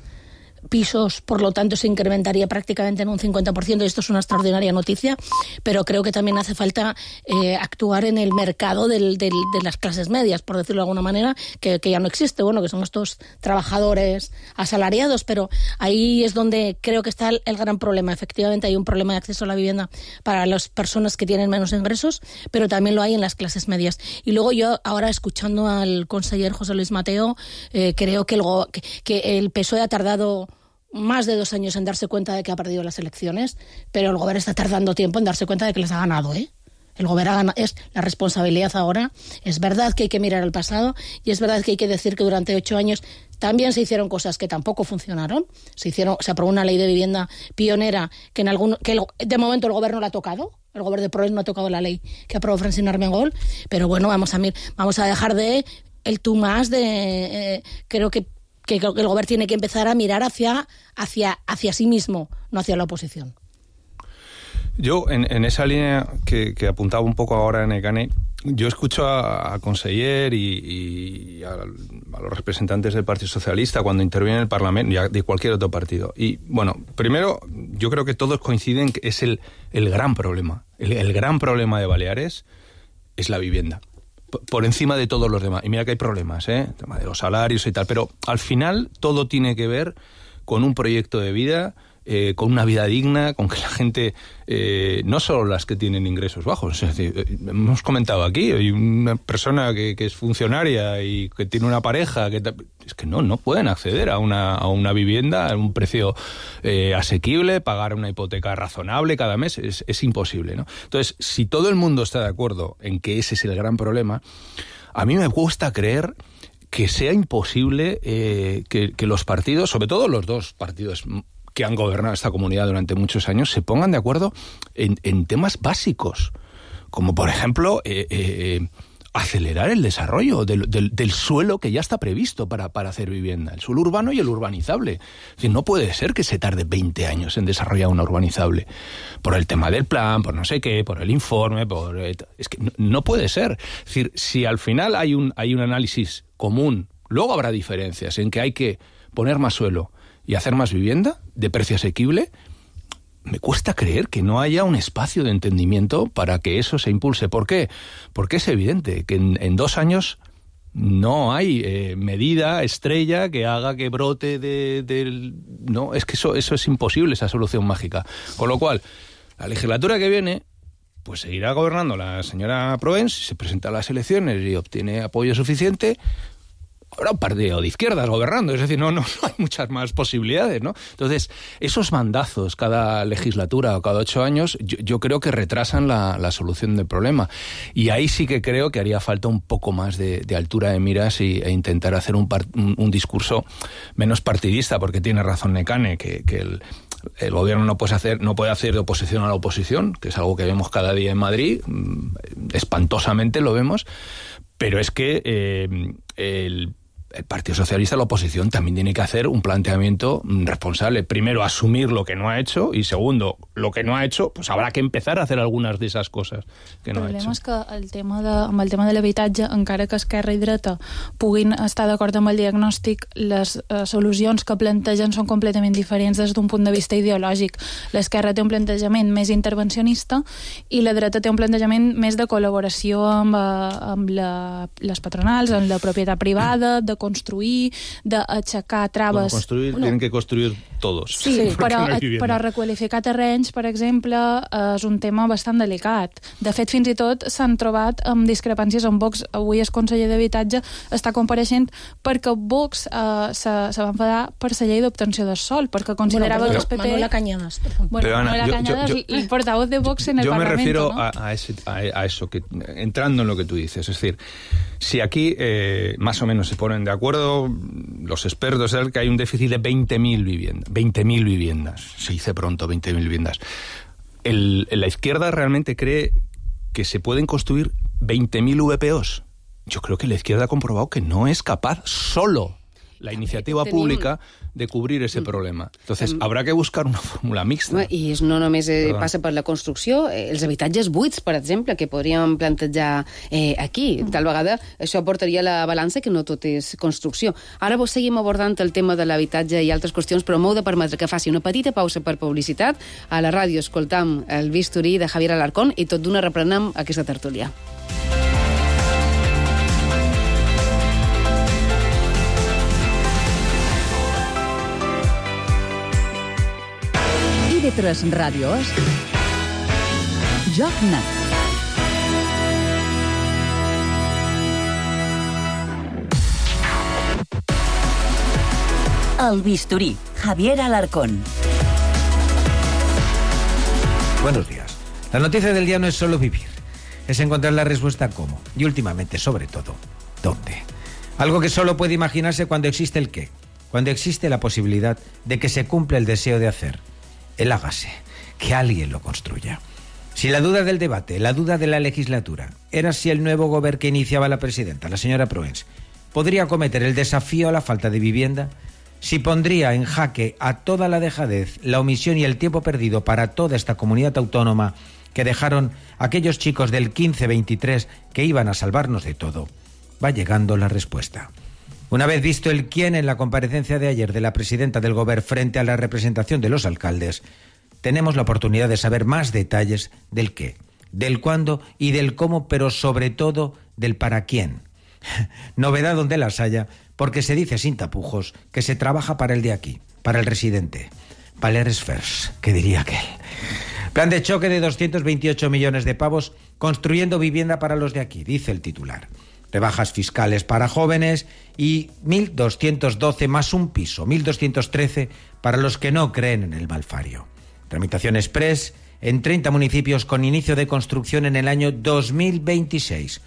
[SPEAKER 16] pisos, por lo tanto se incrementaría prácticamente en un cincuenta por ciento y esto es una extraordinaria noticia, pero creo que también hace falta eh, actuar en el mercado del, del, de las clases medias, por decirlo de alguna manera, que, que ya no existe, bueno, que son estos trabajadores asalariados, pero ahí es donde creo que está el, el gran problema. Efectivamente hay un problema de acceso a la vivienda para las personas que tienen menos ingresos, pero también lo hay en las clases medias. Y luego yo, ahora escuchando al conseller José Luis Mateo, eh, creo que el, que, que el P S O E ha tardado más de dos años en darse cuenta de que ha perdido las elecciones, pero el gobierno está tardando tiempo en darse cuenta de que les ha ganado, ¿eh? El gobierno ha ganado, es la responsabilidad ahora. Es verdad que hay que mirar al pasado y es verdad que hay que decir que durante ocho años también se hicieron cosas que tampoco funcionaron. Se hicieron, se aprobó una ley de vivienda pionera que en algún, que el, de momento el gobierno la ha tocado. El gobierno de Progrés no ha tocado la ley que aprobó Francina Armengol, pero bueno, vamos a mir, vamos a dejar de el tú más de eh, creo que que el gobierno tiene que empezar a mirar hacia, hacia, hacia sí mismo, no hacia la oposición.
[SPEAKER 17] Yo, en, en esa línea que, que apuntaba un poco ahora en Nekane, yo escucho a, a conseller y, y a, a los representantes del Partido Socialista cuando intervienen en el Parlamento, y de cualquier otro partido. Y, bueno, primero, yo creo que todos coinciden que es el, el gran problema. El, el gran problema de Baleares es la vivienda. Por encima de todos los demás. Y mira que hay problemas, ¿eh? El tema de los salarios y tal. Pero al final todo tiene que ver con un proyecto de vida, eh, con una vida digna, con que la gente, eh, no solo las que tienen ingresos bajos, es decir, eh, hemos comentado aquí, hay una persona que, que es funcionaria y que tiene una pareja, que es que no, no pueden acceder a una, a una vivienda a un precio eh, asequible, pagar una hipoteca razonable cada mes, es, es imposible, ¿no? Entonces, si todo el mundo está de acuerdo en que ese es el gran problema, a mí me cuesta creer que sea imposible eh, que, que los partidos, sobre todo los dos partidos que han gobernado esta comunidad durante muchos años, se pongan de acuerdo en, en temas básicos, como por ejemplo eh, eh, acelerar el desarrollo del, del, del suelo que ya está previsto para, para hacer vivienda, el suelo urbano y el urbanizable. Es decir, no puede ser que se tarde veinte años en desarrollar una urbanizable, por el tema del plan, por no sé qué, por el informe, por es que no, no puede ser. Es decir, si al final hay un, hay un análisis común, luego habrá diferencias en que hay que poner más suelo y hacer más vivienda de precio asequible. Me cuesta creer que no haya un espacio de entendimiento para que eso se impulse. ¿Por qué? Porque es evidente que en, en dos años no hay eh, medida estrella que haga que brote de, de... No, es que eso, eso es imposible, esa solución mágica. Con lo cual, la legislatura que viene, pues seguirá gobernando la señora Proens, se presenta a las elecciones y obtiene apoyo suficiente. Habrá un partido de izquierdas gobernando, es decir, no, no, no hay muchas más posibilidades, ¿no? Entonces, esos mandazos cada legislatura o cada ocho años, yo, yo creo que retrasan la, la solución del problema. Y ahí sí que creo que haría falta un poco más de, de altura de miras y, e intentar hacer un, par, un, un discurso menos partidista, porque tiene razón Nekane, que, que el, el gobierno no puede hacer, no puede hacer de oposición a la oposición, que es algo que vemos cada día en Madrid, espantosamente lo vemos, pero es que eh, el El Partido Socialista, la oposición, también tiene que hacer un planteamiento responsable. Primero, asumir lo que no ha hecho y segundo, lo que no ha hecho, pues habrá que empezar a hacer algunes d'aquestes coses que no ha hecho.
[SPEAKER 15] El problema és que el tema de, amb el tema de l'habitatge, encara que Esquerra i dreta puguin estar d'acord amb el diagnòstic, les eh, solucions que plantegen són completament diferents des d'un punt de vista ideològic. L'esquerra té un plantejament més intervencionista i la dreta té un plantejament més de col·laboració amb, amb la, les patronals, amb la propietat privada, de construir, d'aixecar traves...
[SPEAKER 17] Bueno, construir, no. Tienen que construir todos.
[SPEAKER 15] Sí, sí però, no però requalificar terrenys, per exemple, és un tema bastant delicat. De fet, fins i tot s'han trobat amb discrepàncies amb Vox. Avui el conseller d'Habitatge està compareixent perquè Vox eh, se, se va enfadar per la llei d'obtenció del sol, perquè considerava
[SPEAKER 16] bueno,
[SPEAKER 15] que el P P...
[SPEAKER 16] Manuela Cañadas, por favor.
[SPEAKER 15] Bueno,
[SPEAKER 17] pero, Ana,
[SPEAKER 15] Manuela
[SPEAKER 17] yo,
[SPEAKER 15] Cañadas,
[SPEAKER 17] yo, yo,
[SPEAKER 15] el portavoz de Vox en el
[SPEAKER 17] yo
[SPEAKER 15] Parlamento.
[SPEAKER 17] Yo me refiero
[SPEAKER 15] ¿no?
[SPEAKER 17] a, a, ese, a, a eso, que entrando en lo que tú dices, es decir, si aquí eh, más o menos se ponen de de acuerdo los expertos es que hay un déficit de veinte mil viviendas. veinte mil viviendas, se dice pronto, veinte mil viviendas. El, la izquierda realmente cree que se pueden construir veinte mil V P Os. Yo creo que la izquierda ha comprobado que no es capaz solo la iniciativa Tenim... pública de cobrir ese problema. Entonces, um, habrá que buscar una fórmula mixta.
[SPEAKER 10] I no només eh, passa per la construcció, eh, els habitatges buits, per exemple, que podríem plantejar eh, aquí. Tal vegada això portaria la balança que no tot és construcció. Ara vos seguim abordant el tema de l'habitatge i altres qüestions, però m'heu de permetre que faci una petita pausa per publicitat. A la ràdio escoltam el bisturí de Javier Alarcón i tot d'una reprenem aquesta tertúlia.
[SPEAKER 7] I V tres Ràdio és Joc Net.
[SPEAKER 8] El bisturí, Javier Alarcón.
[SPEAKER 19] Buenos días. La noticia del día no es solo vivir, es encontrar la respuesta a cómo y últimamente, sobre todo, dónde. Algo que solo puede imaginarse cuando existe el qué, cuando existe la posibilidad de que se cumpla el deseo de hacer. El hágase, que alguien lo construya. Si la duda del debate, la duda de la legislatura, era si el nuevo gobierno que iniciaba la presidenta, la señora Proens, podría acometer el desafío a la falta de vivienda, si pondría en jaque a toda la dejadez, la omisión y el tiempo perdido para toda esta comunidad autónoma que dejaron aquellos chicos del quince veintitrés que iban a salvarnos de todo, va llegando la respuesta. Una vez visto el quién en la comparecencia de ayer de la presidenta del Gobierno frente a la representación de los alcaldes, tenemos la oportunidad de saber más detalles del qué, del cuándo y del cómo, pero sobre todo del para quién. Novedad donde las haya, porque se dice sin tapujos que se trabaja para el de aquí, para el residente. Valeres Fers, que diría aquel. Plan de choque de doscientos veintiocho millones de pavos construyendo vivienda para los de aquí, dice el titular. Rebajas fiscales para jóvenes y mil doscientos doce más un piso, mil doscientos trece para los que no creen en el malfario. Tramitación express en treinta municipios con inicio de construcción en el año dos mil veintiséis.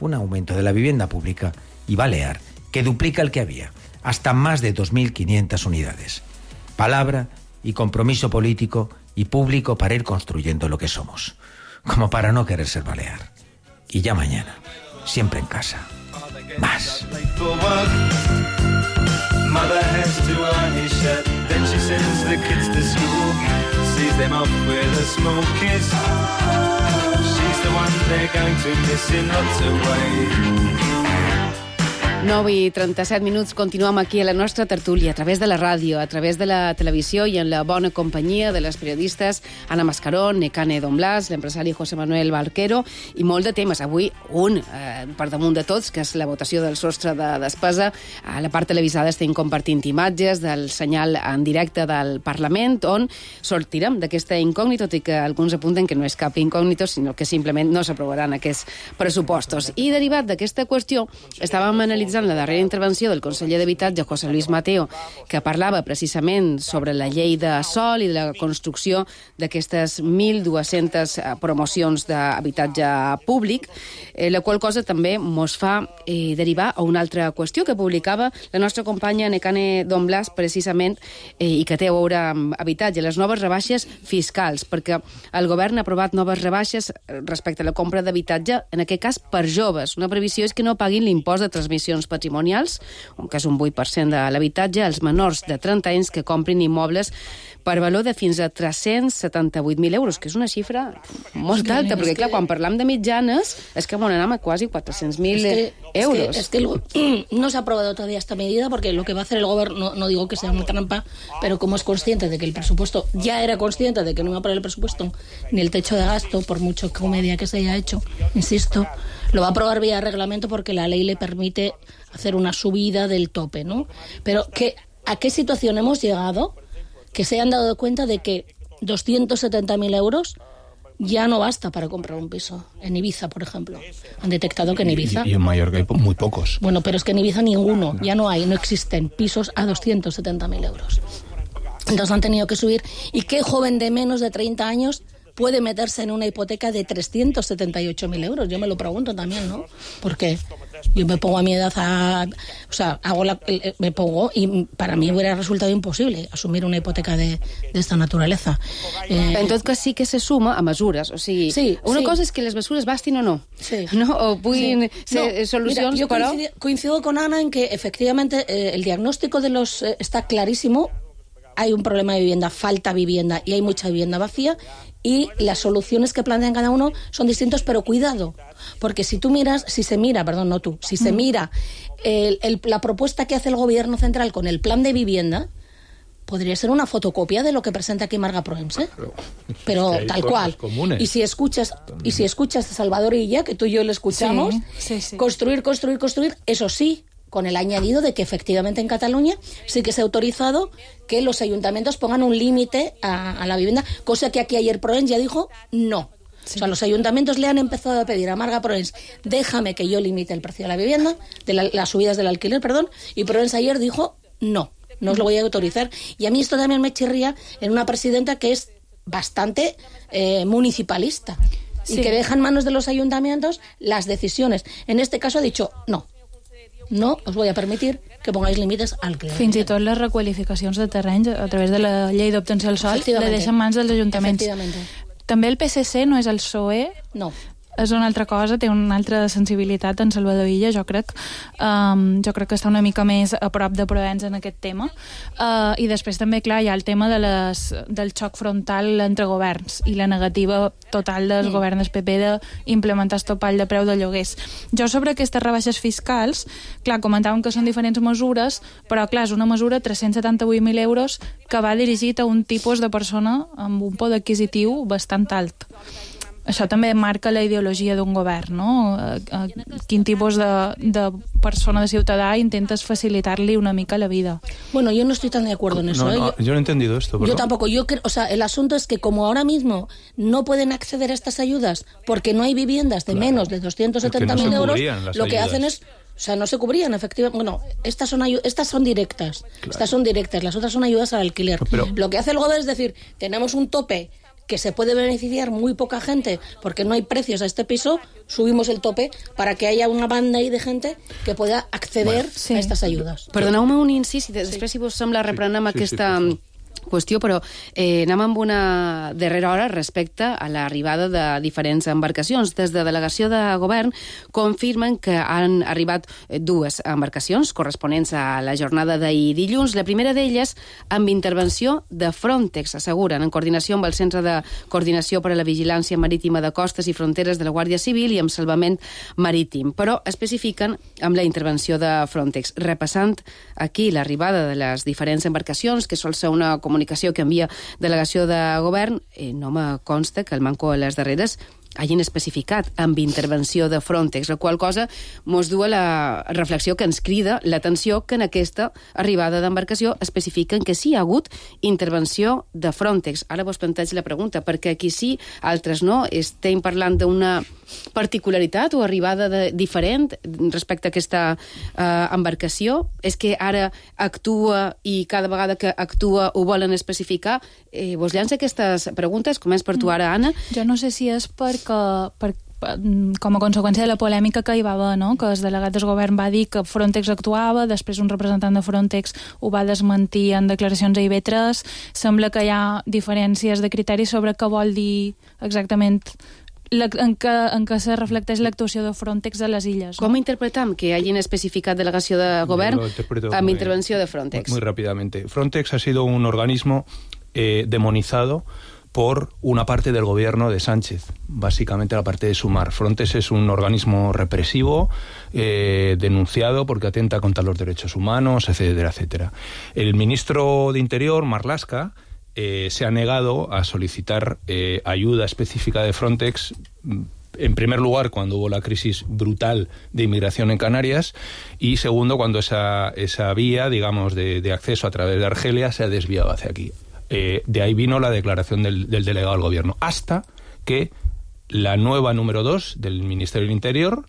[SPEAKER 19] Un aumento de la vivienda pública y balear que duplica el que había, hasta más de dos mil quinientas unidades. Palabra y compromiso político y público para ir construyendo lo que somos, como para no querer ser balear. Y ya mañana, siempre en casa, más.
[SPEAKER 10] nou i trenta-set minuts, continuem aquí a la nostra tertúlia, a través de la ràdio, a través de la televisió i en la bona companyia de les periodistes Anna Mascarón, Nekane Don Blas, l'empresari José Manuel Barquero i molt de temes. Avui un, eh, per damunt de tots, que és la votació del sostre de despesa. A la part televisada estem compartint imatges del senyal en directe del Parlament, on sortirem d'aquesta incògnita, tot i que alguns apunten que no és cap incògnita, sinó que simplement no s'aprovaran aquests pressupostos. I derivat d'aquesta qüestió, estàvem analitzant la darrera intervenció del conseller d'Habitatge, José Luis Mateo, que parlava precisament sobre la llei de sòl i de la construcció d'aquestes mil dues-centes promocions d'habitatge públic, eh, la qual cosa també mos fa eh, derivar a una altra qüestió que publicava la nostra companya Nekane Don Blas, precisament, eh, i que té a veure amb habitatge, les noves rebaixes fiscals, perquè el govern ha aprovat noves rebaixes respecte a la compra d'habitatge, en aquest cas per joves. Una previsió és que no paguin l'impost de transmissions patrimonials, que és un vuit per cent de l'habitatge, als menors de trenta anys que comprin immobles per valor de fins a tres-cents setanta-vuit mil euros, que és una xifra molt alta, perquè clar, quan parlam de mitjanes és que anem a quasi quatre-cents mil euros.
[SPEAKER 16] Es que, es que no se ha aprobado todavía esta medida porque lo que va a hacer el gobierno, no, no digo que sea una trampa, pero como es consciente de que el presupuesto, ya era consciente de que no iba a aprobar el presupuesto ni el techo de gasto, por mucho comedia que se haya hecho, insisto, lo va a aprobar vía reglamento porque la ley le permite hacer una subida del tope, ¿no? Pero ¿qué, ¿a qué situación hemos llegado? Que se han dado cuenta de que doscientos setenta mil euros ya no basta para comprar un piso. En Ibiza, por ejemplo. Han detectado que en Ibiza...
[SPEAKER 17] Y, y en Mallorca hay muy pocos.
[SPEAKER 16] Bueno, pero es que en Ibiza ninguno. No. Ya no hay, no existen pisos a doscientos setenta mil euros. Entonces han tenido que subir. ¿Y qué joven de menos de treinta años puede meterse en una hipoteca de trescientos setenta y ocho mil euros? Yo me lo pregunto también, ¿no? ¿Por qué? Yo me pongo a mi edad a... O sea, hago la, me pongo y para mí hubiera resultado imposible asumir una hipoteca de, de esta naturaleza.
[SPEAKER 10] Eh, en tot cas sí que se suma a mesures. O sigui,
[SPEAKER 16] sí,
[SPEAKER 10] una
[SPEAKER 16] sí.
[SPEAKER 10] cosa és que les mesures bastin o no.
[SPEAKER 16] Sí.
[SPEAKER 10] No? O puguin
[SPEAKER 16] sí.
[SPEAKER 10] ser
[SPEAKER 16] no,
[SPEAKER 10] solucions,
[SPEAKER 16] mira, yo
[SPEAKER 10] però...
[SPEAKER 16] coincido, coincido con Ana en que efectivamente eh, el diagnóstico de los eh, está clarísimo. Hay un problema de vivienda, falta vivienda y hay mucha vivienda vacía y las soluciones que plantean cada uno son distintos, pero cuidado, porque si tú miras, si se mira, perdón, no tú, si se mira el, el, la propuesta que hace el gobierno central con el plan de vivienda, podría ser una fotocopia de lo que presenta aquí Marga Proens, ¿eh? Pero
[SPEAKER 17] es que
[SPEAKER 16] tal cual.
[SPEAKER 17] Comunes.
[SPEAKER 16] Y si escuchas y si escuchas a Salvador Illa, que tú y yo le escuchamos,
[SPEAKER 15] sí, sí, sí.
[SPEAKER 16] construir, construir, construir, eso sí, con el añadido de que efectivamente en Cataluña sí que se ha autorizado que los ayuntamientos pongan un límite a, a la vivienda, cosa que aquí ayer Proens ya dijo no. Sí. O sea, los ayuntamientos le han empezado a pedir a Marga Proens, déjame que yo limite el precio de la vivienda, de la, las subidas del alquiler, perdón, y Proens ayer dijo no, no os lo voy a autorizar. Y a mí esto también me chirría en una presidenta que es bastante eh, municipalista sí. y que deja en manos de los ayuntamientos las decisiones. En este caso ha dicho no. No os voy a permitir que pongáis límites al alquiler.
[SPEAKER 15] Fins i tot les requalificacions de terrenys a través de la llei d'obtenció del sol le deixen mans dels ajuntaments. També el P S C no és el P S O E?
[SPEAKER 16] No.
[SPEAKER 15] És una altra cosa, té una altra sensibilitat en Salvador Illa, jo crec. Um, jo crec que està una mica més a prop de Proens en aquest tema. Uh, I després també, clar, hi ha el tema de les, del xoc frontal entre governs i la negativa total del mm. govern del P P d'implementar el topall de preu de lloguers. Jo sobre aquestes rebaixes fiscals, clar, comentàvem que són diferents mesures, però clar, és una mesura tres-cents setanta-vuit mil euros que va dirigit a un tipus de persona amb un poder adquisitiu bastant alt. Això també marca la ideologia d'un govern, no? A, a quin tipus de, de persona, de ciutadà, intentes facilitar-li una mica la vida.
[SPEAKER 16] Bueno, yo no estoy tan de acuerdo en eso.
[SPEAKER 17] No,
[SPEAKER 16] ¿eh?
[SPEAKER 17] no,
[SPEAKER 16] yo,
[SPEAKER 17] yo no he entendido esto.
[SPEAKER 16] Yo tampoco. Yo creo, o sea, el asunto es que como ahora mismo no pueden acceder a estas ayudas porque no hay viviendas de claro. menos de doscientos setenta mil no euros, lo que ayudas. hacen es... O sea, no se cubrían, efectivamente. Bueno, estas son, estas son directas. Claro. Estas son directas. Las otras son ayudas al alquiler. Pero, lo que hace el gobierno es decir, tenemos un tope que se puede beneficiar muy poca gente porque no hay precios a este piso, subimos el tope para que haya una banda ahí de gente que pueda acceder bueno, sí. a estas ayudas.
[SPEAKER 10] Perdoneu-me un incís i després, sí. si vos sembla, reprenem sí, aquesta... Sí, sí, qüestió, però eh, anem amb una darrera hora respecte a l'arribada de diferents embarcacions. Des de Delegació de Govern confirmen que han arribat dues embarcacions corresponents a la jornada d'ahir dilluns. La primera d'elles amb intervenció de Frontex, asseguren, en coordinació amb el Centre de Coordinació per a la Vigilància Marítima de Costes i Fronteres de la Guàrdia Civil i amb Salvament Marítim, però especifiquen amb la intervenció de Frontex. Repassant aquí l'arribada de les diferents embarcacions, que sol ser una comunicació que envia Delegació de Govern, eh, no me consta que el manco a les darreres hagin especificat amb intervenció de Frontex, la qual cosa mos du a la reflexió que ens crida l'atenció que en aquesta arribada d'embarcació especifiquen que sí hi ha hagut intervenció de Frontex. Ara vos planteig la pregunta, perquè aquí sí, altres no, estem parlant d'una particularitat o arribada de, diferent respecte a aquesta eh, embarcació? És que ara actua i cada vegada que actua ho volen especificar? Eh, vos llança aquestes preguntes? Començ per tu ara, Anna.
[SPEAKER 15] Jo no sé si és perquè, per, com a conseqüència de la polèmica que hi va haver, no? Que el delegat del govern va dir que Frontex actuava, després un representant de Frontex ho va desmentir en declaracions a I B tres. Sembla que hi ha diferències de criteris sobre què vol dir exactament la, en, què, en què se reflecteix l'actuació de Frontex a les illes.
[SPEAKER 10] ¿no? Com interpretam que hagin especificat Delegació de Govern amb intervenció de Frontex?
[SPEAKER 17] Muy, muy rápidamente. Frontex ha sido un organismo eh, demonizado por una parte del gobierno de Sánchez, básicamente la parte de Sumar. Frontex es un organismo represivo, eh, denunciado porque atenta contra los derechos humanos, etcétera, etcétera. El ministro de Interior, Marlaska, eh, se ha negado a solicitar eh, ayuda específica de Frontex, en primer lugar, cuando hubo la crisis brutal de inmigración en Canarias, y segundo, cuando esa, esa vía, digamos, de, de acceso a través de Argelia se ha desviado hacia aquí. Eh, de ahí vino la declaración del, del delegado del gobierno, hasta que la nueva número dos del Ministerio del Interior,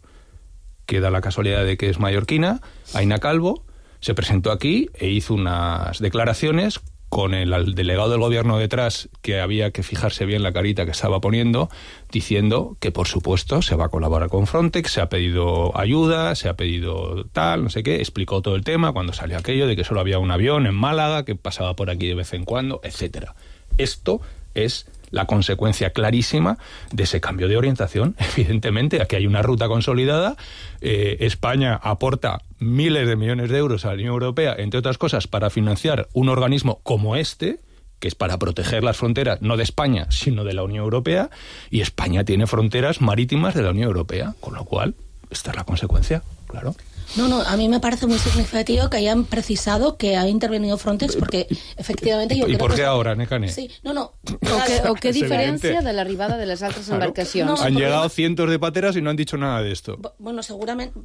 [SPEAKER 17] que da la casualidad de que es mallorquina, Aina Calvo, se presentó aquí e hizo unas declaraciones con el, el delegado del gobierno detrás, que había que fijarse bien la carita que estaba poniendo, diciendo que, por supuesto, se va a colaborar con Frontex, se ha pedido ayuda, se ha pedido tal, no sé qué, explicó todo el tema cuando salió aquello de que solo había un avión en Málaga, que pasaba por aquí de vez en cuando, etcétera. Esto es la consecuencia clarísima de ese cambio de orientación. Evidentemente, aquí hay una ruta consolidada. Eh, España aporta miles de millones de euros a la Unión Europea, entre otras cosas, para financiar un organismo como este, que es para proteger las fronteras, no de España, sino de la Unión Europea, y España tiene fronteras marítimas de la Unión Europea, con lo cual, esta es la consecuencia, claro.
[SPEAKER 16] No, no, a mí me parece muy significativo que hayan precisado que ha intervenido Frontex, porque efectivamente yo
[SPEAKER 17] ¿Y
[SPEAKER 16] creo
[SPEAKER 17] por qué
[SPEAKER 16] que...
[SPEAKER 17] ahora, Necane?
[SPEAKER 16] Sí, no, no.
[SPEAKER 10] O què, o què diferència de l'arribada de les altres
[SPEAKER 17] Claro.
[SPEAKER 10] embarcacions?
[SPEAKER 16] No,
[SPEAKER 17] Han
[SPEAKER 16] problema-
[SPEAKER 17] llegado cientos de pateras y no han dicho nada de esto.
[SPEAKER 16] Bueno, seguramente...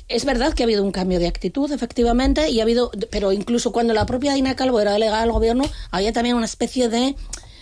[SPEAKER 16] Es verdad que ha habido un cambio de actitud, efectivamente, y ha habido, pero incluso cuando la propia Dina Calvo era delegada del gobierno, había también una especie de...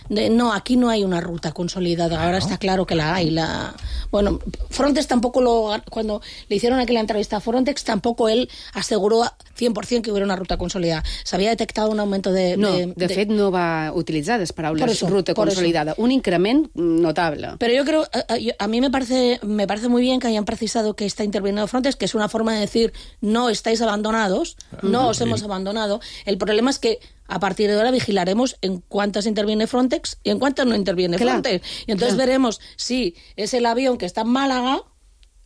[SPEAKER 16] De, no, aquí no hay una ruta consolidada, ahora está claro que la hay. La, bueno, Frontex tampoco lo... Cuando le hicieron aquella entrevista a Frontex, tampoco él aseguró cien por cien que hubiera una ruta consolidada. Se había detectado un aumento de...
[SPEAKER 10] No,
[SPEAKER 16] de,
[SPEAKER 10] de,
[SPEAKER 16] de
[SPEAKER 10] fet no va utilitzar les paraules
[SPEAKER 16] Por eso,
[SPEAKER 10] ruta
[SPEAKER 16] por
[SPEAKER 10] consolidada.
[SPEAKER 16] eso.
[SPEAKER 10] Un increment notable.
[SPEAKER 16] Pero yo creo, a, a- a mí me parece, me parece muy bien que hayan precisado que está interviniendo Frontex, que es una forma de decir, no estáis abandonados, no os hemos abandonado. El problema es que a partir de ahora vigilaremos en cuántas interviene Frontex y en cuántas no interviene
[SPEAKER 10] Claro,
[SPEAKER 16] Frontex. Y entonces
[SPEAKER 10] claro.
[SPEAKER 16] veremos si es el avión que está en Málaga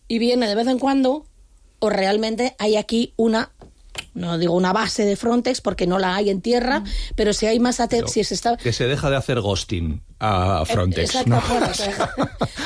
[SPEAKER 16] y viene de vez en cuando, o realmente hay aquí una... No digo una base de Frontex porque no la hay en tierra, pero si hay más atención, si se está...
[SPEAKER 17] Que se deja de hacer ghosting a Frontex,
[SPEAKER 16] Exacto,
[SPEAKER 17] ¿no?
[SPEAKER 16] bueno, o sea,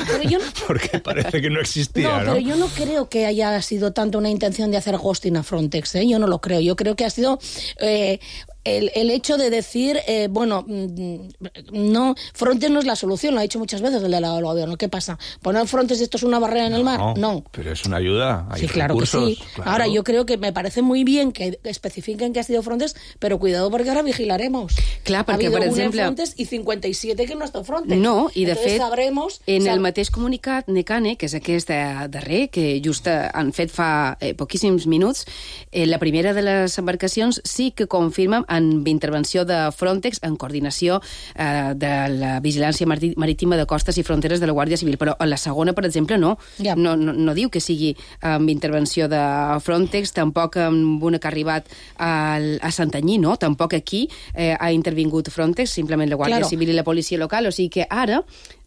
[SPEAKER 16] pero yo no-
[SPEAKER 17] Porque parece que no existía,
[SPEAKER 16] No,
[SPEAKER 17] ¿no?
[SPEAKER 16] pero yo no creo que haya sido tanto una intención de hacer ghosting a Frontex, ¿eh? Yo no lo creo. Yo creo que ha sido eh, el, el hecho de decir, eh, bueno, mm, no, Frontex no es la solución, lo ha dicho muchas veces el delegado del gobierno. ¿Qué pasa? ¿Poner Frontex esto es una barrera en el mar? No.
[SPEAKER 17] Pero es una ayuda, hay
[SPEAKER 16] Sí, claro
[SPEAKER 17] recursos.
[SPEAKER 16] que sí.
[SPEAKER 17] Claro.
[SPEAKER 16] Ahora, yo creo que me parece muy bien que especifiquen que ha sido Frontex, pero cuidado porque ahora vigilaremos.
[SPEAKER 10] Clar,
[SPEAKER 16] ha
[SPEAKER 10] perquè,
[SPEAKER 16] habido
[SPEAKER 10] per
[SPEAKER 16] una en
[SPEAKER 10] exemple...
[SPEAKER 16] Frontex y cincuenta y siete que no ha estat Frontex.
[SPEAKER 10] No, i de
[SPEAKER 16] Entonces
[SPEAKER 10] fet,
[SPEAKER 16] sabremos,
[SPEAKER 10] en
[SPEAKER 16] sab-
[SPEAKER 10] el mateix comunicat, Necane, que és aquest eh, darrer, que just eh, han fet fa eh, poquíssims minuts, eh, la primera de les embarcacions sí que confirma amb intervenció de Frontex en coordinació eh, de la vigilància martí- marítima de costes i fronteres de la Guàrdia Civil, però en la segona, per exemple, no.
[SPEAKER 16] Ja.
[SPEAKER 10] No, no, no diu que sigui amb intervenció de Frontex, tampoc amb una que ha arribat al, a Santanyí, no? Tampoc aquí eh, ha intervingut Frontex, simplement la Guàrdia
[SPEAKER 16] Claro.
[SPEAKER 10] Civil i la policia local, o sigui que ara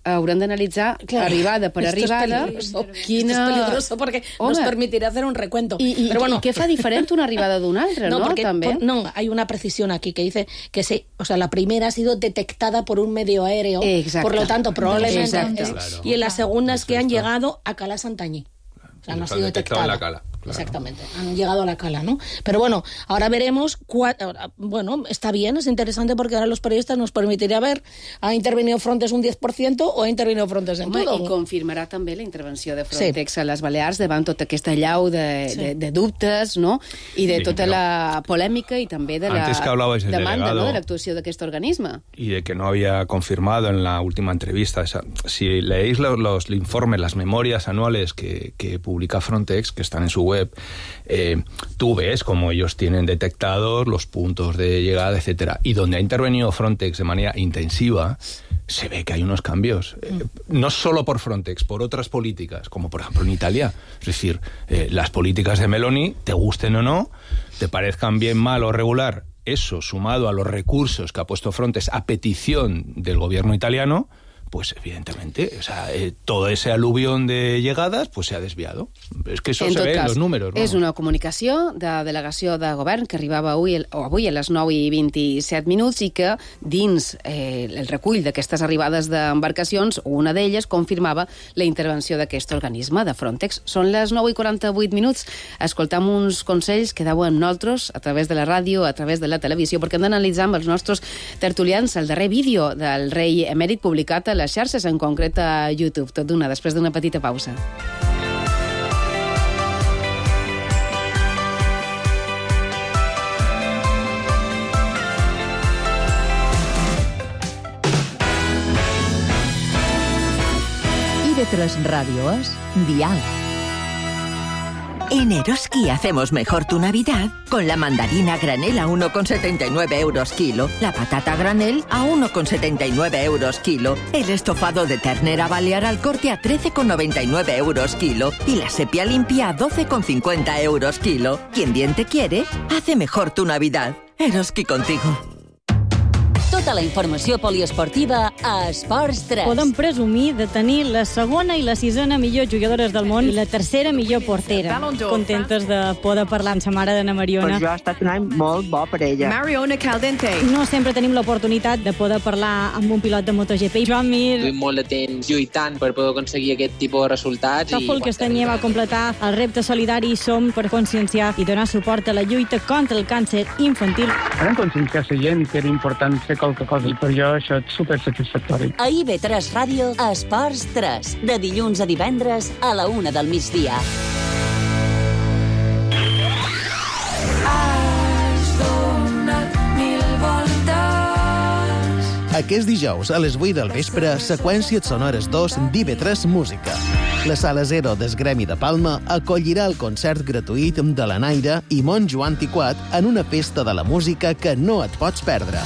[SPEAKER 10] hauran d'analitzar
[SPEAKER 16] Claro.
[SPEAKER 10] arribada per
[SPEAKER 16] Esto es
[SPEAKER 10] arribada
[SPEAKER 16] peligroso.
[SPEAKER 10] quina...
[SPEAKER 16] Esto es peligroso porque
[SPEAKER 10] Home.
[SPEAKER 16] nos permitirá hacer un recuento.
[SPEAKER 10] I, i,
[SPEAKER 16] Pero bueno,
[SPEAKER 10] i què fa diferent una arribada d'una altra, no?
[SPEAKER 16] porque
[SPEAKER 10] També.
[SPEAKER 16] por- no, hay una precisión aquí que dice que se, o sea, la primera ha sido detectada por un medio aéreo,
[SPEAKER 10] Exacto.
[SPEAKER 16] por lo tanto probablemente
[SPEAKER 10] Exacto.
[SPEAKER 16] es-
[SPEAKER 17] Claro.
[SPEAKER 16] y en la segunda es que han llegado a Cala Santañí. O sea, no ha
[SPEAKER 17] Está
[SPEAKER 16] sido
[SPEAKER 17] detectado
[SPEAKER 16] detectada.
[SPEAKER 17] en la cala. Claro.
[SPEAKER 16] Exactamente, han llegado a la cala, ¿no? Pero bueno, ahora veremos, cua- ahora, bueno, está bien, es interesante porque ahora los periodistas nos permitirá ver, ¿ha intervenido Frontex un diez por ciento o ha intervenido Frontex en
[SPEAKER 10] Home,
[SPEAKER 16] todo?
[SPEAKER 10] i confirmarà també la intervenció de Frontex sí. a les Balears davant tota aquesta llau de,
[SPEAKER 16] Sí.
[SPEAKER 10] de, de dubtes, no? I de
[SPEAKER 17] Sí,
[SPEAKER 10] tota
[SPEAKER 17] però-
[SPEAKER 10] la polèmica i també de la
[SPEAKER 17] Antes que hablabais del
[SPEAKER 10] demanda,
[SPEAKER 17] delegado-
[SPEAKER 10] no?, de l'actuació d'aquest organisme.
[SPEAKER 17] Y de que no había confirmado en la última entrevista. Esa, si leéis los, los informes, las memorias anuales que, que publica Frontex, que están en su web, eh, tú ves cómo ellos tienen detectados los puntos de llegada, etcétera. Y donde ha intervenido Frontex de manera intensiva, se ve que hay unos cambios. Eh, no solo por Frontex, por otras políticas, como por ejemplo en Italia. Es decir, eh, las políticas de Meloni, te gusten o no, te parezcan bien, mal o regular, eso sumado a los recursos que ha puesto Frontex a petición del gobierno italiano, pues evidentemente, o sea, eh, todo ese aluvión de llegadas pues se ha desviado. Es que eso
[SPEAKER 10] En
[SPEAKER 17] se
[SPEAKER 10] tot
[SPEAKER 17] ve en
[SPEAKER 10] cas,
[SPEAKER 17] los números.
[SPEAKER 10] és
[SPEAKER 17] vamos.
[SPEAKER 10] una comunicació de delegació de govern que arribava avui, o avui a les nou i vint-i-set minuts i que dins eh, el recull d'aquestes arribades d'embarcacions, una d'elles confirmava la intervenció d'aquest organisme de Frontex. Són les nou i quaranta-vuit minuts. Escoltam uns consells que deu amb nosaltres a través de la ràdio, a través de la televisió, perquè hem d'analitzar amb els nostres tertulians el darrer vídeo del rei emèrit publicat a les xarxes, en concret a YouTube. Tot d'una, després d'una petita pausa.
[SPEAKER 7] I V tres Ràdio és Dial.
[SPEAKER 20] En Eroski hacemos mejor tu Navidad con la mandarina granel a uno con setenta y nueve euros kilo, la patata granel a uno con setenta y nueve euros kilo, el estofado de ternera balear al corte a trece con noventa y nueve euros kilo y la sepia limpia a doce con cincuenta euros kilo. Quien bien te quiere, hace mejor tu Navidad. Eroski contigo.
[SPEAKER 8] Tota la informació poliesportiva a Esports tres.
[SPEAKER 21] Podem presumir de tenir la segona i la sisena millors jugadores del món i la tercera millor portera. Contentes de poder parlar amb sa mare d'Anna Mariona.
[SPEAKER 22] Per jo ha estat un any molt bo per ella.
[SPEAKER 21] Mariona Caldente. No sempre tenim l'oportunitat de poder parlar amb un pilot de MotoGP. Joan Mir.
[SPEAKER 23] Duim molt de temps lluitant per poder aconseguir aquest tipus de resultats.
[SPEAKER 21] Tòfol Castanyer va completar el repte solidari Som per conscienciar i donar suport a la lluita contra el càncer infantil.
[SPEAKER 24] Vam conscienciar la gent que era important fer qualque cosa i per jo això és supersatisfactori.
[SPEAKER 8] A I B tres Ràdio, Esports tres, de dilluns a divendres a la una del migdia.
[SPEAKER 25] Has donat mil voltes.
[SPEAKER 26] Aquest dijous a les vuit del vespre, Seqüències sonores dos d'I B tres Música. La Sala Zero del Gremi de Palma acollirà el concert gratuït de la Naira i Montjoan Tiquat en una festa de la música que no et pots perdre.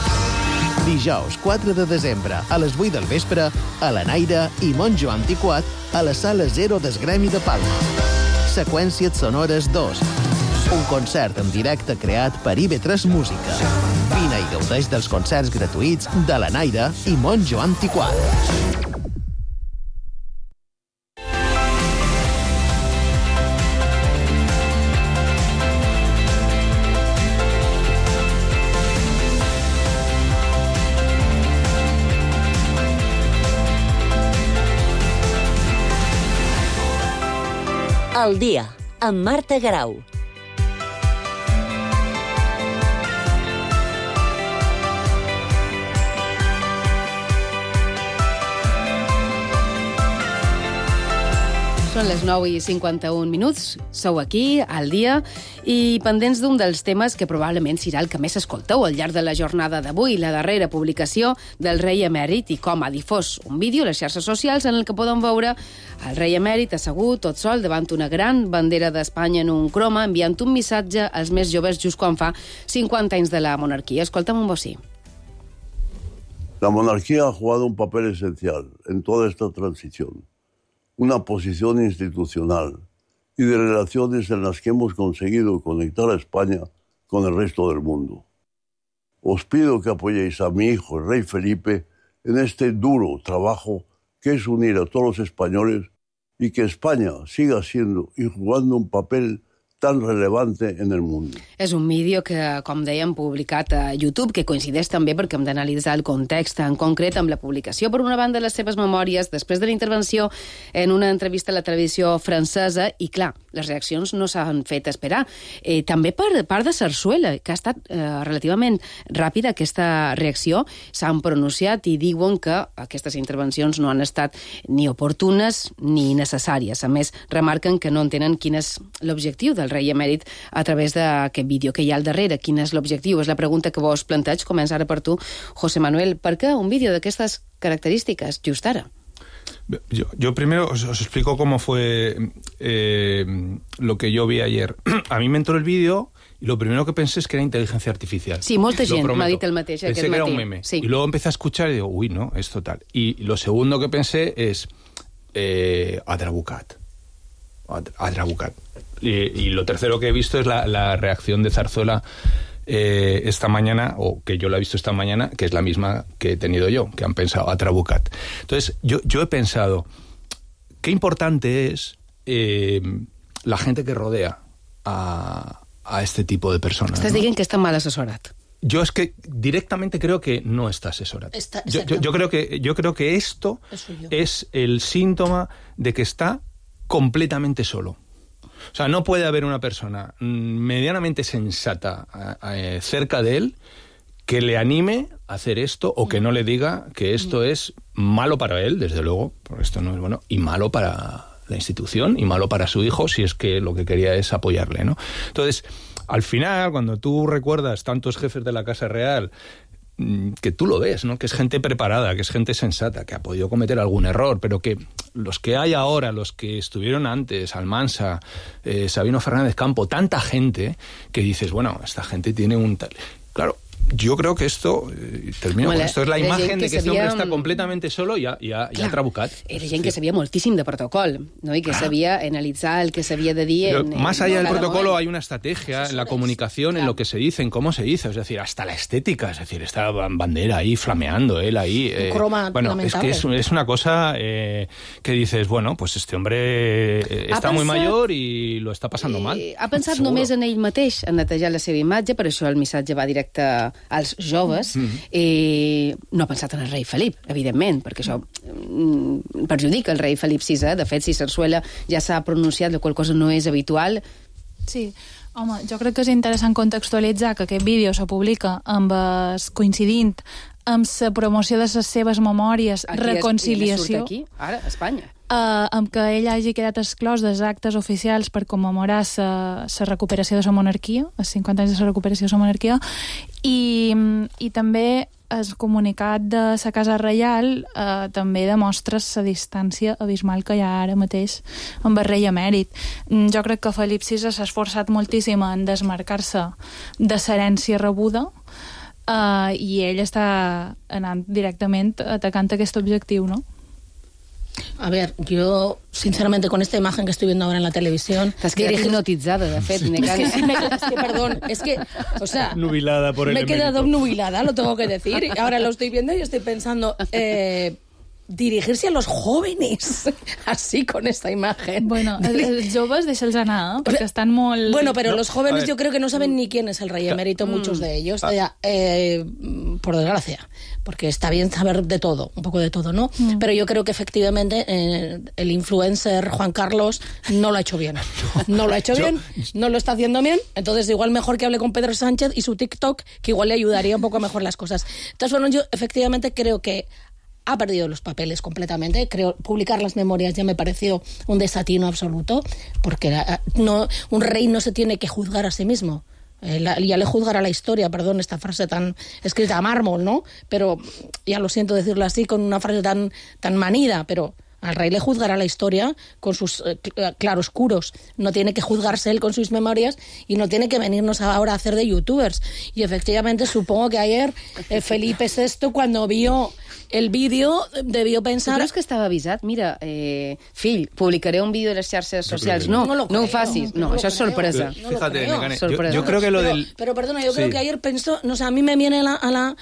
[SPEAKER 26] Dijous quatre de desembre a les vuit del vespre a la Naira i Montjoan Tiquat a la Sala Zero del Gremi de Palma. Seqüències sonores dos. Un concert en directe creat per I B tres Música. Vine i gaudeix dels concerts gratuïts de la Naira i Montjoan Tiquat.
[SPEAKER 8] Al dia, amb Marta Garau.
[SPEAKER 10] Són les nou i cinquanta-un minuts, sou aquí, al dia, i pendents d'un dels temes que probablement serà el que més escolteu al llarg de la jornada d'avui, la darrera publicació del rei emèrit i com ha difós un vídeo a les xarxes socials en el que podem veure el rei emèrit assegut tot sol davant una gran bandera d'Espanya en un croma enviant un missatge als més joves just quan fa cinquanta anys de la monarquia. Escolta'm un bocí.
[SPEAKER 6] La monarquía ha jugado un papel esencial en toda esta transición. Una posición institucional y de relaciones en las que hemos conseguido conectar a España con el resto del mundo. Os pido que apoyéis a mi hijo, el rey Felipe, en este duro trabajo que es unir a todos los españoles y que España siga siendo y jugando un papel tan relevante en el mundo.
[SPEAKER 10] És un vídeo que, com dèiem, publicat a YouTube, que coincideix també perquè hem d'analitzar el context en concret amb la publicació, per una banda, les seves memòries, després de la intervenció en una entrevista a la televisió francesa, i clar, les reaccions no s'han fet esperar. Eh, també per part de Sarsuela, que ha estat eh, relativament ràpida aquesta reacció, s'han pronunciat i diuen que aquestes intervencions no han estat ni oportunes ni necessàries. A més, remarquen que no entenen quin és l'objectiu del rei emèrit a través d'aquest vídeo que hi ha al darrere. Quin és l'objectiu? És la pregunta que vos planteig. Comença ara per tu, José Manuel. Per què un vídeo d'aquestes característiques just ara?
[SPEAKER 17] Yo, yo primero os, os explico cómo fue eh, lo que yo vi ayer. A mí me entró el vídeo y lo primero que pensé es que era inteligencia artificial.
[SPEAKER 10] Sí, molta gent m'ha dit el mateix.
[SPEAKER 17] Pensé que era un meme. Sí. Y luego empecé a escuchar y digo, uy, no, es total. Y lo segundo que pensé es eh, Adrabucat. Adrabucat. Y, y lo tercero que he visto es la, la reacción de Zarzuela eh, esta mañana, o que yo la he visto esta mañana, que es la misma que he tenido yo, que han pensado Adrabucat. Entonces, yo, yo he pensado, qué importante es eh, la gente que rodea a, a este tipo de personas.
[SPEAKER 10] Estás
[SPEAKER 17] ¿no?
[SPEAKER 10] diciendo que está mal asesorat.
[SPEAKER 17] Yo es que directamente creo que no está asesorado. Está, yo, yo, yo, creo que, yo creo que esto es el síntoma de que está completamente solo. O sea, no puede haber una persona medianamente sensata eh, cerca de él que le anime a hacer esto o que no le diga que esto es malo para él, desde luego, porque esto no es bueno, y malo para la institución y malo para su hijo si es que lo que quería es apoyarle, ¿no? Entonces, al final, cuando tú recuerdas tantos jefes de la Casa Real que tú lo ves, ¿no? Que es gente preparada, que es gente sensata, que ha podido cometer algún error, pero que los que hay ahora, los que estuvieron antes, Almansa, eh, Sabino Fernández Campo, tanta gente que dices, bueno, esta gente tiene un tal... Claro, yo creo que esto, eh, termino con esto, és la imagen de que este hombre està completamente solo i ha, i ha, i ha trabucat.
[SPEAKER 10] Era gent que sabia moltíssim de protocol, ¿no? Y que sabía analizar el que sabía de dir... En,
[SPEAKER 17] más
[SPEAKER 10] en,
[SPEAKER 17] allá
[SPEAKER 10] en
[SPEAKER 17] del protocolo
[SPEAKER 10] momento.
[SPEAKER 17] hay una estrategia en la comunicación, en lo que se dice, en cómo se dice, es decir, hasta la estética, es decir, esta bandera ahí flameando, él ahí... Eh,
[SPEAKER 16] croma
[SPEAKER 17] bueno, es
[SPEAKER 16] lamentable.
[SPEAKER 17] que es, es una cosa eh, que dices, bueno, pues este hombre eh, está
[SPEAKER 10] Ha
[SPEAKER 17] muy
[SPEAKER 10] pensat-
[SPEAKER 17] mayor y lo está pasando mal.
[SPEAKER 10] Eh, ha pensat
[SPEAKER 17] Seguro.
[SPEAKER 10] només en ell mateix, en netejar la seva imatge, per això el missatge va directe als joves.
[SPEAKER 17] Mm.
[SPEAKER 10] Eh, no ha pensat en el rei Felip, evidentment, perquè això mm, perjudica el rei Felip sisè. De fet, si Sarsuela ja s'ha pronunciat, la qual cosa no és habitual.
[SPEAKER 15] Sí, home, jo crec que és interessant contextualitzar que aquest vídeo se publica amb es, coincidint amb la promoció de les seves memòries,
[SPEAKER 10] Aquí
[SPEAKER 15] reconciliació,
[SPEAKER 10] És, aquí, ara, a Espanya.
[SPEAKER 15] uh, amb que ell hagi quedat exclòs dels actes oficials per commemorar la recuperació de la monarquia, els cinquanta anys de la recuperació de la monarquia, i, i també el comunicat de la Casa Reial eh, també demostra la distància abismal que hi ha ara mateix amb el rei emèrit. Mm, Jo crec que Felip sisè s'ha esforçat moltíssim en desmarcar-se de l'herència rebuda, Uh, i ell està anant directament atacant aquest objectiu, ¿no?
[SPEAKER 16] A ver, yo, sinceramente, con esta imagen que estoy viendo ahora en la televisión...
[SPEAKER 10] Estás quedado
[SPEAKER 16] dirigir-
[SPEAKER 10] hipnotizada, de fet,
[SPEAKER 16] Es
[SPEAKER 10] Necane.
[SPEAKER 16] que, sí me- es que, perdón, es que, o sea...
[SPEAKER 17] Nubilada por el
[SPEAKER 16] Me he quedado
[SPEAKER 17] emérito.
[SPEAKER 16] obnubilada, lo tengo que decir. Y ahora lo estoy viendo y estoy pensando... Eh, dirigirse a los jóvenes así con esta imagen.
[SPEAKER 15] Bueno, els joves deixa'ls anar, eh? perquè estan molt...
[SPEAKER 16] Bueno, pero
[SPEAKER 15] No,
[SPEAKER 16] los
[SPEAKER 15] a
[SPEAKER 16] jóvenes
[SPEAKER 15] ver.
[SPEAKER 16] yo creo que no saben ni quién es el rey emérito, muchos de ellos,
[SPEAKER 15] Ah.
[SPEAKER 16] eh, eh, por desgracia, porque está bien saber de todo, un poco de todo, ¿no?
[SPEAKER 15] Mm.
[SPEAKER 16] Pero yo creo que efectivamente eh, el influencer Juan Carlos no lo ha hecho bien. No lo ha hecho
[SPEAKER 17] Yo-
[SPEAKER 16] bien, no lo está haciendo bien, entonces igual mejor que hable con Pedro Sánchez y su TikTok, que igual le ayudaría un poco a mejorar las cosas. Entonces, bueno, yo efectivamente creo que ha perdido los papeles completamente. Creo publicar las memorias ya me pareció un desatino absoluto, porque la- no, un rey no se tiene que juzgar a sí mismo. Eh, la- ya le juzgará la historia, perdón, esta frase tan escrita a mármol, ¿no? Pero ya lo siento decirlo así, con una frase tan, tan manida, pero al rey le juzgará la historia con sus eh, cl- claroscuros. No tiene que juzgarse él con sus memorias y no tiene que venirnos ahora a hacer de youtubers. Y efectivamente supongo que ayer eh, Felipe sexto, cuando vio el vídeo, debió pensar...
[SPEAKER 10] Tu creus que estava avisat? Mira, eh, fill, publicaré un vídeo de les xarxes socials. No,
[SPEAKER 16] No lo
[SPEAKER 10] no ho
[SPEAKER 16] creo,
[SPEAKER 10] facis. No,
[SPEAKER 16] no lo
[SPEAKER 10] això és
[SPEAKER 16] creo.
[SPEAKER 10] sorpresa.
[SPEAKER 16] No lo
[SPEAKER 17] Fíjate,
[SPEAKER 16] creo.
[SPEAKER 17] Necane, yo,
[SPEAKER 10] Sorpresa.
[SPEAKER 17] yo creo que lo
[SPEAKER 16] pero,
[SPEAKER 17] del...
[SPEAKER 16] pero perdona, yo creo
[SPEAKER 17] Sí.
[SPEAKER 16] que ayer pensó, no sé, a mí me viene a la, a la...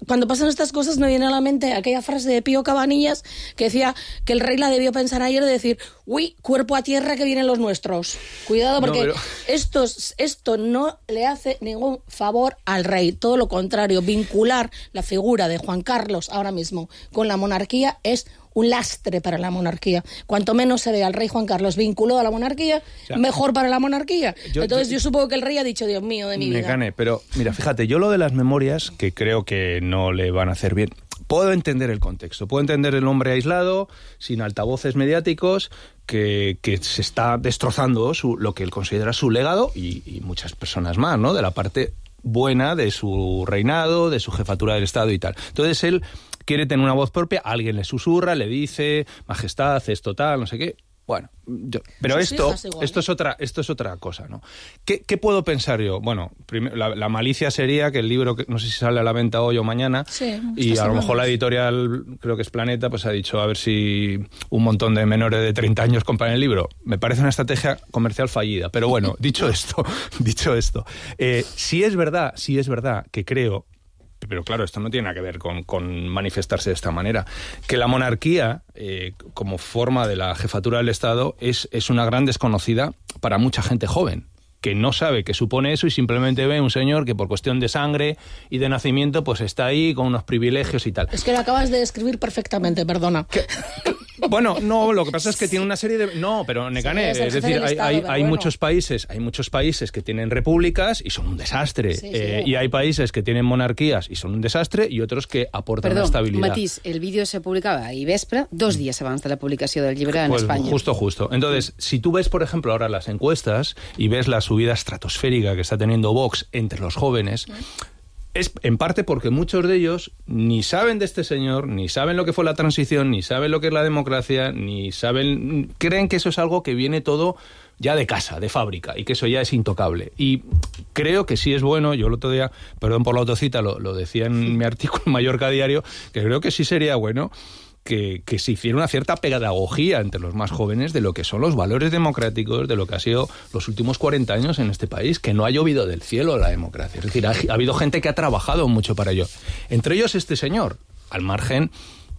[SPEAKER 16] Cuando pasan estas cosas me viene a la mente aquella frase de Pío Cabanillas que decía que el rey la debió pensar ayer de decir, uy, cuerpo a tierra que vienen los nuestros. Cuidado,
[SPEAKER 17] No,
[SPEAKER 16] porque
[SPEAKER 17] pero-
[SPEAKER 16] esto, esto no le hace ningún favor al rey. Todo lo contrario, vincular la figura de Juan Carlos ahora mismo con la monarquía es un lastre para la monarquía. Cuanto menos se ve al rey Juan Carlos vinculado a la monarquía,
[SPEAKER 17] sea,
[SPEAKER 16] mejor para la monarquía.
[SPEAKER 17] yo-
[SPEAKER 16] Entonces
[SPEAKER 17] yo-
[SPEAKER 16] yo, supongo que el rey ha dicho, Dios mío, de mi vida.
[SPEAKER 17] Necane, pero mira, fíjate, yo lo de las memorias, que creo que no le van a hacer bien, puedo entender el contexto, puedo entender el hombre aislado, sin altavoces mediáticos, que, que se está destrozando su, lo que él considera su legado y, y muchas personas más, ¿no? De la parte buena de su reinado, de su jefatura del Estado y tal. Entonces él quiere tener una voz propia, alguien le susurra, le dice, majestad, esto tal, no sé qué. Bueno, yo- pero
[SPEAKER 16] Sus
[SPEAKER 17] esto,
[SPEAKER 16] hijas igual,
[SPEAKER 17] esto es otra, esto es otra cosa, ¿no? ¿Qué, qué puedo pensar yo? Bueno, primero, la, la malicia sería que el libro, que no sé si sale a la venta hoy o mañana,
[SPEAKER 16] Sí,
[SPEAKER 17] y
[SPEAKER 16] esta
[SPEAKER 17] a lo
[SPEAKER 16] semana.
[SPEAKER 17] mejor la editorial, creo que es Planeta, pues ha dicho a ver si un montón de menores de treinta años compran el libro. Me parece una estrategia comercial fallida. Pero bueno, dicho esto, dicho esto, eh, si es verdad, si es verdad que creo, pero claro, esto no tiene nada que ver con, con manifestarse de esta manera, que la monarquía, eh, como forma de la jefatura del Estado, es, es una gran desconocida para mucha gente joven, que no sabe qué supone eso y simplemente ve un señor que por cuestión de sangre y de nacimiento pues está ahí con unos privilegios y tal.
[SPEAKER 16] Es que lo acabas de describir perfectamente, perdona.
[SPEAKER 17] Bueno, no, lo que pasa es que tiene una serie de... No, pero Necane,
[SPEAKER 16] Sí, es el
[SPEAKER 17] es
[SPEAKER 16] jefe
[SPEAKER 17] decir,
[SPEAKER 16] del
[SPEAKER 17] hay,
[SPEAKER 16] Estado,
[SPEAKER 17] hay,
[SPEAKER 16] pero
[SPEAKER 17] hay
[SPEAKER 16] bueno.
[SPEAKER 17] muchos países, hay muchos países que tienen repúblicas y son un desastre.
[SPEAKER 10] Sí, sí.
[SPEAKER 17] Eh, y hay países que tienen monarquías y son un desastre y otros que aportan
[SPEAKER 10] Perdó,
[SPEAKER 17] una estabilidad.
[SPEAKER 10] matís, el vídeo se publicava ahir vespre, dos dies abans de la publicació del llibre en
[SPEAKER 17] Pues
[SPEAKER 10] Espanya.
[SPEAKER 17] justo, justo. Entonces, si tú ves, por ejemplo, ahora las encuestas y ves la subida estratosférica que está teniendo Vox entre los jóvenes, es en parte porque muchos de ellos ni saben de este señor, ni saben lo que fue la transición, ni saben lo que es la democracia, ni saben... Creen que eso es algo que viene todo ya de casa, de fábrica, y que eso ya es intocable. Y creo que sí es bueno, yo el otro día, perdón por la autocita, lo, lo decía en mi artículo en Mallorca Diario, que creo que sí sería bueno que, que se hiciera una cierta pedagogía entre los más jóvenes de lo que son los valores democráticos, de lo que ha sido los últimos cuarenta años en este país, que no ha llovido del cielo la democracia. Es decir, ha, ha habido gente que ha trabajado mucho para ello. Entre ellos este señor, al margen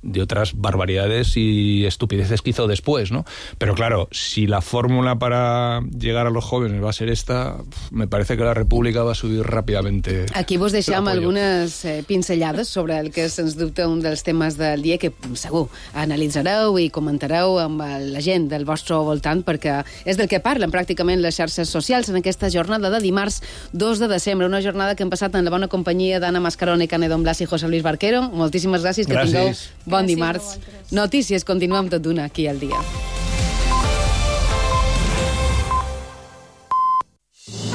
[SPEAKER 17] de otras barbaridades y estupideces que hizo después, ¿no? Pero claro, si la fórmula para llegar a los jóvenes va a ser esta, me parece que la República va a subir ràpidamente.
[SPEAKER 10] Aquí vos deixem algunes eh, pinzellades sobre el que és, sens dubte, un dels temes del dia que segur analitzareu i comentareu amb la gent del vostre voltant, perquè és del que parlen pràcticament les xarxes socials en aquesta jornada de dimarts dos de desembre, una jornada que hem passat en la bona companyia d'Anna Mascarón i Canedo Blas i José Luis Barquero. Moltíssimes gràcies, que
[SPEAKER 17] gràcies.
[SPEAKER 10] tingueu bon dimarts. Notícies, continuem tot d'una aquí al dia.